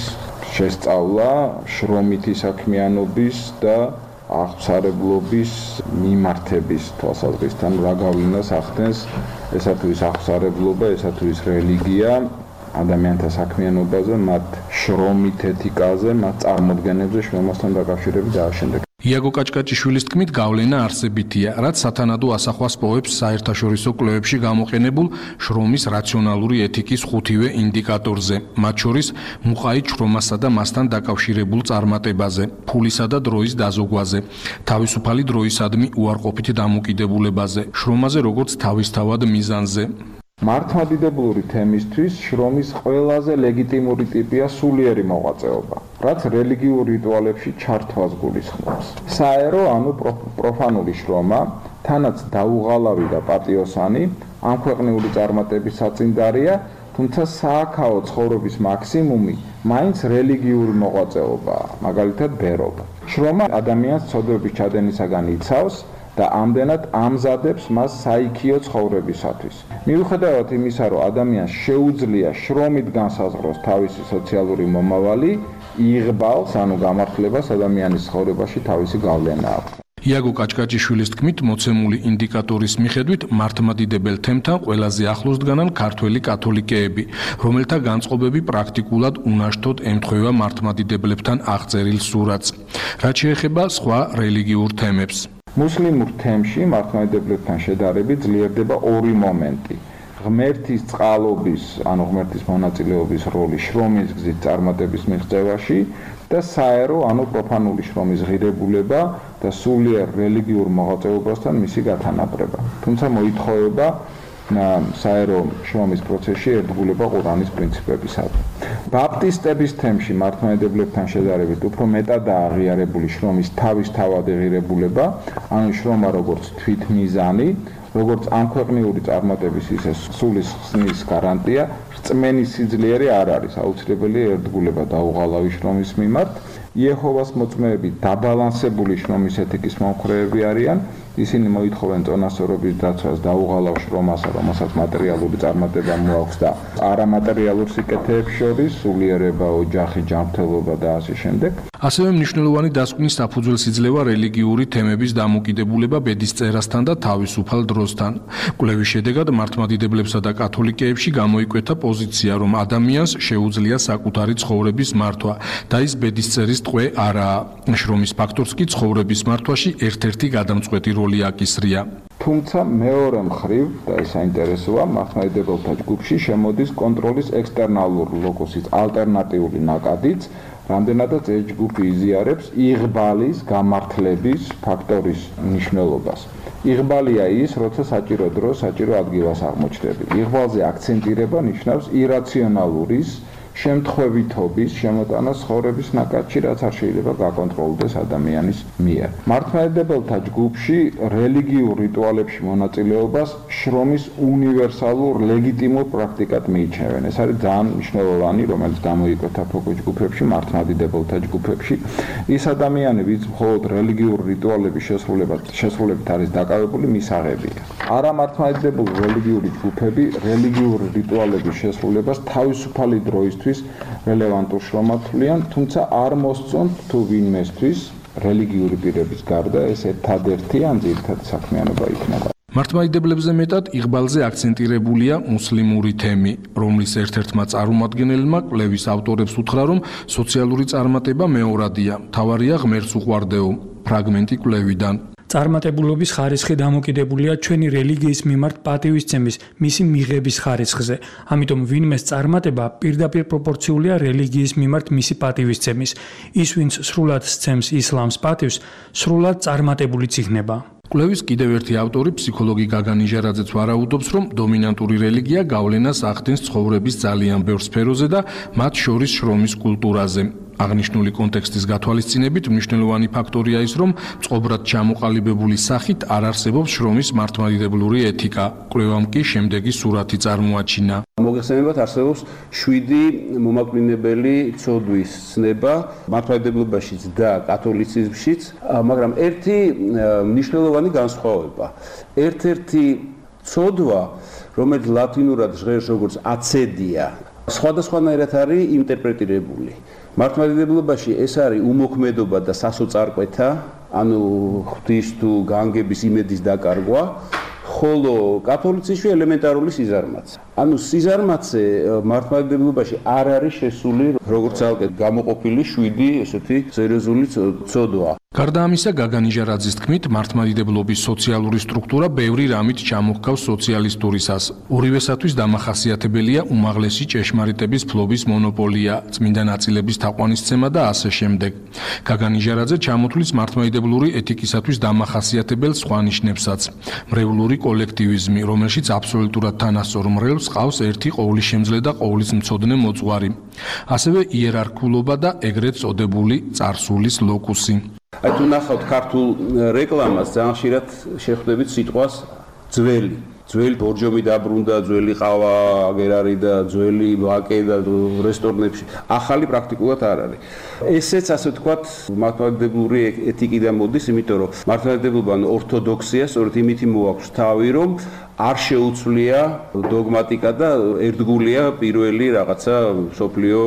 Speaker 7: შესწავლა, შრომითი საქმიანობის და აღსარებლობის მიმართების თვალსაზრისით, რა გავლენას ახდენს ესა თუ ის აღსარებლობა, ესა თუ ის რელიგია ადამიანთა საქმიანობაზე, მათ შრომით ეთიკაზე, მათ წარმოდგენებზე, შრომასთან დაკავშირებით და ამავდროულად.
Speaker 14: იაგო კაჭკაჭიშვილის თქმით, გავლენა არსებითია, რაც სათანადო ასახვას პოვებს საერთაშორისო კვლევებში გამოყენებულ შრომის რაციონალური ეთიკის ხუთივე ინდიკატორზე, მათ შორის მუყაით შრომასა და მასთან დაკავშირებულ წარმატებაზე, ფულისა და დროის დაზოგვაზე, თავისუფალი დროისადმი უარყოფით დამოკიდებულებაზე, შრომაზე როგორც თავისთავად მიზანზე.
Speaker 7: მართლმადიდებლური თემისთვის შრომის ყველაზე ლეგიტიმური ტიპია სულიერი მოღვაწეობა, რაც რელიგიურ რიტუალებში ჩართვას გულისხმობს. საერო, ანუ პროფანული შრომა, თანაც დაუღალავი და პატიოსანი, ამ ქვეყნიური წარმატების საწინდარია, თუმცა სააქაო ცხოვრების მაქსიმუმი მაინც რელიგიური მოღვაწეობაა, მაგალითად ბერობა. შრომა ადამიანს ცოდვების ჩადენისაგან იცავს და ამდენად ამზადებს მას საიქიო ცხოვრებისათვის. მიუხედავად იმისა, რომ ადამიანს შეუძლია შრომით განსაზღვროს თავისი სოციალური მომავალი, იღბალს, ანუ გამართლებას ადამიანის ცხოვრებაში თავისი გავლენა აქვს.
Speaker 14: იაგო კაჭკაჭიშვილის თქმით, მოცემული ინდიკატორის მიხედვით მართლმადიდებელ თემთან ყველაზე ახლოს დგანან ქართველი კათოლიკეები, რომელთა განწყობები პრაქტიკულად უნაშთოდ ემთხვევა მართლმადიდებლებთან აღწერილ სურათს. რაც შეეხება სხვა რელიგიურ თემებს.
Speaker 7: მუსლიმურ თემში მართლმადიდებლებთან შედარებით ძლიერდება ორი მომენტი. ღმერთის წყალობის, ანუ ღმერთის მონაწილეობის როლი შრომის გზით წარმატების მიღწევაში და საერო, ანუ პროფანული შრომის ღირებულება და სულიერ რელიგიურ მოღვაწეობასთან მისი გათანაბრება. თუმცა მოითხოვება საერო შრომის პროცესში ერთგულება ყურანის პრინციპებისადმი. ბაპტისტების თემში მართლმადიდებლებთან შედარებით უფრო მეტადაა აღიარებული შრომის თავისთავადი ღირებულება, ანუ შრომა როგორც თვითმიზანი,
Speaker 15: როგორც ამქვეყნიური წარმატების ისე სულის ხსნის გარანტია, რწმენის სიძლიერე არ არის აუცილებელია ერთგულება დაუღალავი შრომის მიმართ. იეჰოვას მოწმეები დაბალანსებული შრომის ეთიკის მომხრეები არიან. ისინი მოითხოვენ წონასწორობის დაცვას დაუღალავ შრომასა, რომელსაც მატერიალური წარმატება მოაქვს და არამატერიალურ სიკეთეებს შორის სულიერება, ოჯახი, ჯანმრთელობა და ასე შემდეგ.
Speaker 14: ასევე მნიშვნელოვანი დასკვნის საფუძველს იძლევა რელიგიური თემების დამოკიდებულება ბედისწერასთან და თავისუფალ დროსთან. კვლევის შედეგად მართლმადიდებლებსა და კათოლიკეებში გამოიკვეთა პოზიცია, რომ ადამიანს შეუძლია საკუთარი ცხოვრების მართვა და ის ბედისწერის ტყვე არაა. შრომის ფაქტორს კი ცხოვრების მართვაში ერთ-ერთი გადამწყვეტი როლი აკისრია.
Speaker 15: თუმცა მეორე მხრივ და ეს საინტერესოა, მართლმადიდებელთა ჯგუფში შემოდის კონტროლის ექსტერნალური ლოკუსის ალტერნატიული ნაკადიც, რამდენადაც ეს ჯგუფი იზიარებს იღბალის, გამართლების ფაქტორის მნიშვნელობას. იღბალია ის, როცა საჭირო დრო, საჭირო ადგილას აღმოჩნდები. იღბალზე აქცენტირება ნიშნავს ირაციონალურის შემთხვევითობის შემოტანა ცხოვრების ნაკადში, რაც არ შეიძლება გაკონტროლდეს ადამიანის მიერ. მართლმადიდებელთა ჯგუფში რელიგიურ რიტუალებში მონაწილეობას შრომის უნივერსალურ ლეგიტიმურ პრაქტიკად მიიჩნევენ. ეს არის ძალიან მნიშვნელოვანი, რომელიც გამოიკვეთა ფოკუს ჯგუფებში, მართლმადიდებელთა ჯგუფებში. ის ადამიანები, ვინც მხოლოდ რელიგიურ რიტუალების შესრულებად შესრულებით არის დაკავებული, მისაღებია. არამართლმადიდებელი რელიგიური ჯგუფები რელიგიური რიტუალების შესრულებას თავისუფალი დროისთვის რელევანტურ შრომად თვლიან, თუმცა არ მოსწონთ თუ ვინმესთვის რელიგიური პირების გარდა ეს ერთადერთი ან ძირითადი საქმიანობა იქნება.
Speaker 14: მართლმადიდებლებზე მეტად იღბალზე აქცენტირებულია მუსლიმური თემი, რომლის ერთ-ერთმა წარმომადგენელმა კვლევის ავტორებს უთხრა, რომ სოციალური წარმატება მეორადია, მთავარია ღმერთს უყვარდეო. ფრაგმენტი კვლევიდან.
Speaker 16: წარმატებულობის ხარისხი დამოკიდებულია ჩვენი რელიგიის მიმართ პატივისცემის, მისი მიღების ხარისხზე. ამიტომ ვინმეს წარმატება პირდაპირ პროპორციულია რელიგიის მიმართ მისი პატივისცემის. ის, ვინც სრულად სცემს ისლამს პატივს, სრულად წარმატებულიც იქნება.
Speaker 14: კვლევის კიდევ ერთი ავტორი, ფსიქოლოგი გაგან იჟარაძეც ვარაუდობს, რომ დომინანტური რელიგია გავლენას ახდენს ცხოვრების ძალიან ბევრ სფეროზე და მათ შორის შრომის კულტურაზე. აღნიშნული კონტექსტის გათვალისწინებით მნიშვნელოვანი ფაქტორია ის, რომ წყობრად ჩამოყალიბებული სახით არ არსებობს შრომის მართლმადიდებლური ეთიკა. კვლევამ კი შემდეგი სურათი წარმოაჩინა.
Speaker 17: მოგეხსენებათ, არსებობს შვიდი მომაკვდინებელი ცოდვის ცნება მართლმადიდებლობაშიც და კათოლიციზმშიც, მაგრამ ერთი მნიშვნელოვანი განსხვავება. ერთ-ერთი ცოდვა, რომელიც ლათინურად ჟღერს როგორც აცედია, სხვადასხვანაირად არის ინტერპრეტირებული. მართლმადიდებლობაში ეს არის უმოქმედობა და სასოწარკვეთა, ანუ ღვთის თუ განგების იმედის დაკარგვა, ხოლო კათოლიციზმში ელემენტარული სიზარმაცე. ანუ სიზარმაცე მართლმადიდებლობაში არ არის შესული როგორც ცალკე გამოყოფილი შვიდი ესეთი სერიოზული ცოდვა.
Speaker 14: გარდა ამისა, გაგან იჟარაძის თქმით, მართლმადიდებლობის სოციალური სტრუქტურა ბევრი რამით ჩამოჰკავს სოციალისტურისას. ორივესათვის დამახასიათებელია უმაღლესი ჭეშმარიტების ფლობის მონოპოლია, წმინდა ნაწილების თაყვანისცემა და ასე შემდეგ. გაგან იჟარაძე ჩამოთვლის მართლმადიდებლური ეთიკისათვის დამახასიათებელ სხვა ნიშნებსაც. მრევლური კოლექტივიზმი, რომელშიც აბსოლუტურად თანასწორ მრევლს ყავს ერთი ყოვლისშემძლე და ყოვლისმცოდნე მოძღვარი. ასევე იერარქულობა და ეგრეთ წოდებული წარსულის ლოკუსი.
Speaker 17: აი თუ ნახავთ ქართულ რეკლამას, ძალიან ხშირად შეხვდებით სიტყვას ძველი. ძველი ბორჯომი დაბრუნდა, ძველი ყავა აგერ არის და ძველი ვაკე და რესტორნებში. ახალი პრაქტიკულად არ არის. ესეც ასე ვთქვათ, მართლმადიდებლური ეთიკიდან მოდის, იმიტომ რომ მართლმადიდებლობა ან ორთოდოქსია სწორედ იმით მოაქვს თავი, რომ არ შეუცვლია დოგმატიკა და ერთგულია პირველი რაღაცა სოფლიო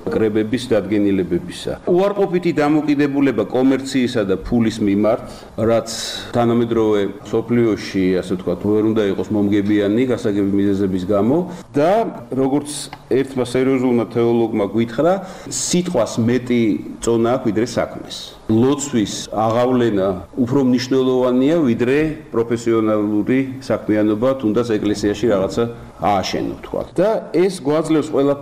Speaker 17: კრებების დადგენილებებისა. უარყოფითი დამოკიდებულება კომერციისა და ფულის მიმართ, რაც თანამედროვე სოფლიოში, ასე ვთქვათ, ვერ უნდა იყოს მომგებიანი გასაგები მიზეზების გამო და როგორც ერთმა სერიოზულმა თეოლოგმა გითხრა, სიტყვას მეტი წონა აქვს ვიდრე საქმეს. ლოცვის აღავლენა უფრო მნიშვნელოვანია ვიდრე პროფესიონალური საქმიანობა, თუნდაც ეკლესიაში რაღაცა ააშენო, თქვა. და ეს გვაძლევს ყველა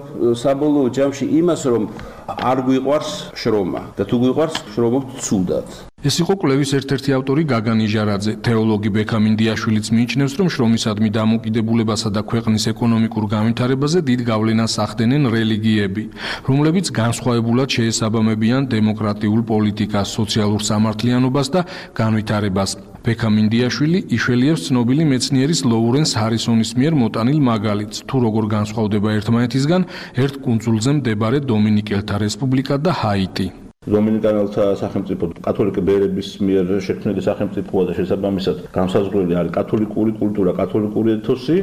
Speaker 17: საბოლოო ჯამში იმას, რომ არ გვიყვარს შრომა და თუ გვიყვარს შრომობთ ცუდად.
Speaker 14: ეს იყო კვლევის ერთ-ერთი ავტორი გაგან იჟარაძე. თეოლოგი ბექამ ინდიაშვილიც მიიჩნევს, რომ შრომისადმი დამოკიდებულებასა და ქვეყნის ეკონომიკურ განვითარებაზე დიდ გავლენას ახდენენ რელიგიები, რომლებიც განსხვავებულად შეესაბამებიან დემოკრატიულ პოლიტიკას, სოციალურ სამართლიანობას და განვითარებას. ბექა მინდიაშვილი იშველიებს ცნობილი მეცნიერის ლოურენს ჰარისონის მიერ მოტანილ მაგალითს, თუ როგორ განსხვავდება ერთმანეთისგან ერთ კუნძულზე მდებარე დომინიკელთა რესპუბლიკა და ჰაიტი.
Speaker 17: დომინიკანელთა სახელმწიფო კათოლიკე ბერების მიერ შექმნილი სახელმწიფოა და შესაბამისად განსაზღვრელი არის კათოლიკური კულტურა, კათოლიკური ეთოსი,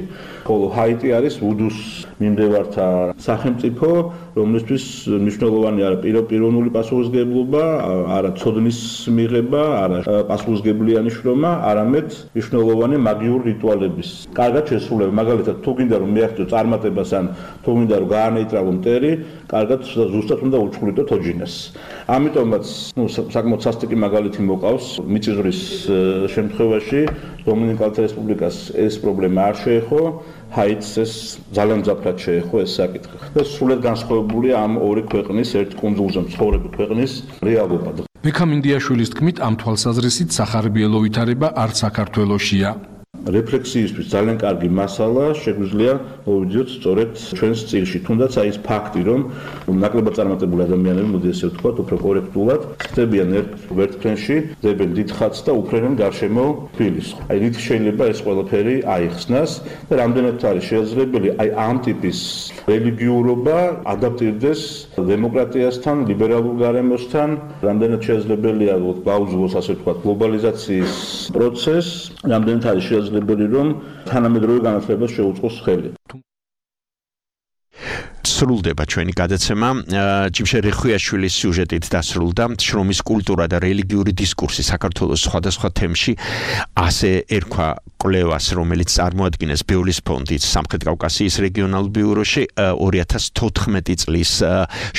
Speaker 17: ხოლო ჰაიტი არის ვუდუს მიმდევართა სახელმწიფო, რომლისთვის მნიშვნელოვანი არა პიროვნული პასუხისმგებლობა, არა ცოდნის მიღება, არა პასუხისმგებლიანი შრომა, არამედ მნიშვნელოვანი მაგიური რიტუალების კარგად შესრულება. მაგალითად, თუ გინდა რომ მიაღწიო წარმატებას ან თუ გინდა რომ გაანეიტრალო მტერი, კარგად ზუსტად უნდა უჩხვრიტო თოჯინას. ამიტომაც, ну, საკმაოდ სასტიკი მაგალითი მოყავს მიწისძვრის შემთხვევაში დომინიკალთა რესპუბლიკას ეს პრობლემა არ შეეხო, ჰაიტს ეს ძალიან მძაფრად შეეხო ეს საკითხი. და სრულად განსხვავებულია ამ ორი ქვეყნის ერთ კუნძულზე მცხოვრები ქვეყნის რეალობა.
Speaker 14: ბექა მინდიაშვილის თქმით, ამ თვალსაზრისით სახარბიელო ვითარება არც საქართველოშია.
Speaker 17: რეფლექსიისთვის ძალიან კარგი მასალა შეგვიძლია მოვიდიოთ სწორედ ჩვენს წიგნში. თუნდაც აი ეს ფაქტი, რომ ნაკლებად წარმატებული ადამიანები, მოდი ესე ვთქვათ, უფრო კორექტულად ხდებიან ერთ ვერტფრენში, დებენ დიდ ხატს და უფრენენ გარშემო ფილის. აი რით შეიძლება ეს ყველაფერი აიხსნას და რამდენად არის შესაძლებელი აი ამ ტიპის რელიგიურობა ადაპტირდეს დემოკრატიასთან, ლიბერალურ გარემოსთან, რამდენად შესაძლებელია გაუძლოს ასე ვთქვათ გლობალიზაციის პროცესს, რამდენად არის შესაძლებელი რომ თანამედროვე განათლებას შეუწყოს ხელი.
Speaker 4: სრულდება ჩვენი გადაცემა. ჯიმშე რიხვიაშვილის სიუჟეტით დასრულდა შრომის კულტურა და რელიგიური დისკურსი საქართველოს სხვადასხვა თემში. ასე ერქვა კვლევას, რომელიც წარმოადგენს ბეულის ფონდის სამხრეთ კავკასიის რეგიონალურ ბიუროში ორი ათას თოთხმეტი წლის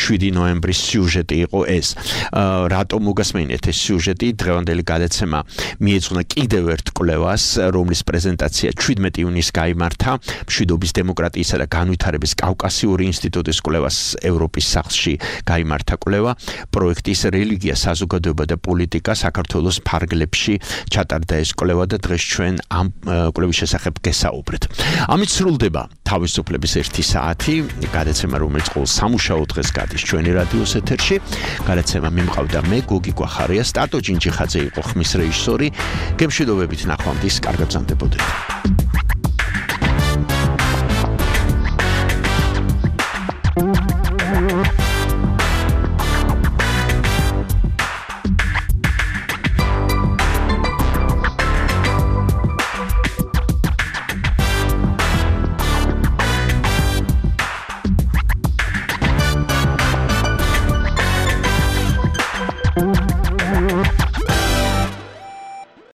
Speaker 4: შვიდი ნოემბრის სიუჟეტი იყო ეს. რატომ მოგასმენიეთ ეს სიუჟეტი? დღევანდელი გადაცემა მიეძღვნა კიდევ ერთ კვლევას, რომლის პრეზენტაცია შვიდმეტი ივნისს გაიმართა მშვიდობის, დემოკრატიისა და განვითარების კავკასიური ინსტიტუტის კვლევას ევროპის სახლში გაიმართა კვლევა პროექტის რელიგია, საზოგადოება და პოლიტიკა საქართველოს ფარგლებში ჩატარდა ეს კვლევა და დღეს ჩვენ ამ კვლევის შესახებ გესაუბრეთ. ამით სრულდება თავისუფლების ერთი საათი, გადაცემა რომელიც ყოველ სამუშაო დღეს გადის ჩვენი რადიოს ეთერში. გადაცემა მიმყავდა მე გოგი გვახარია, სტატო ჯინჯიხაძე იყო ხმის რეჟისორი. გემშვიდობებით ნახვამდის, კარგად გრძანდებოდეთ.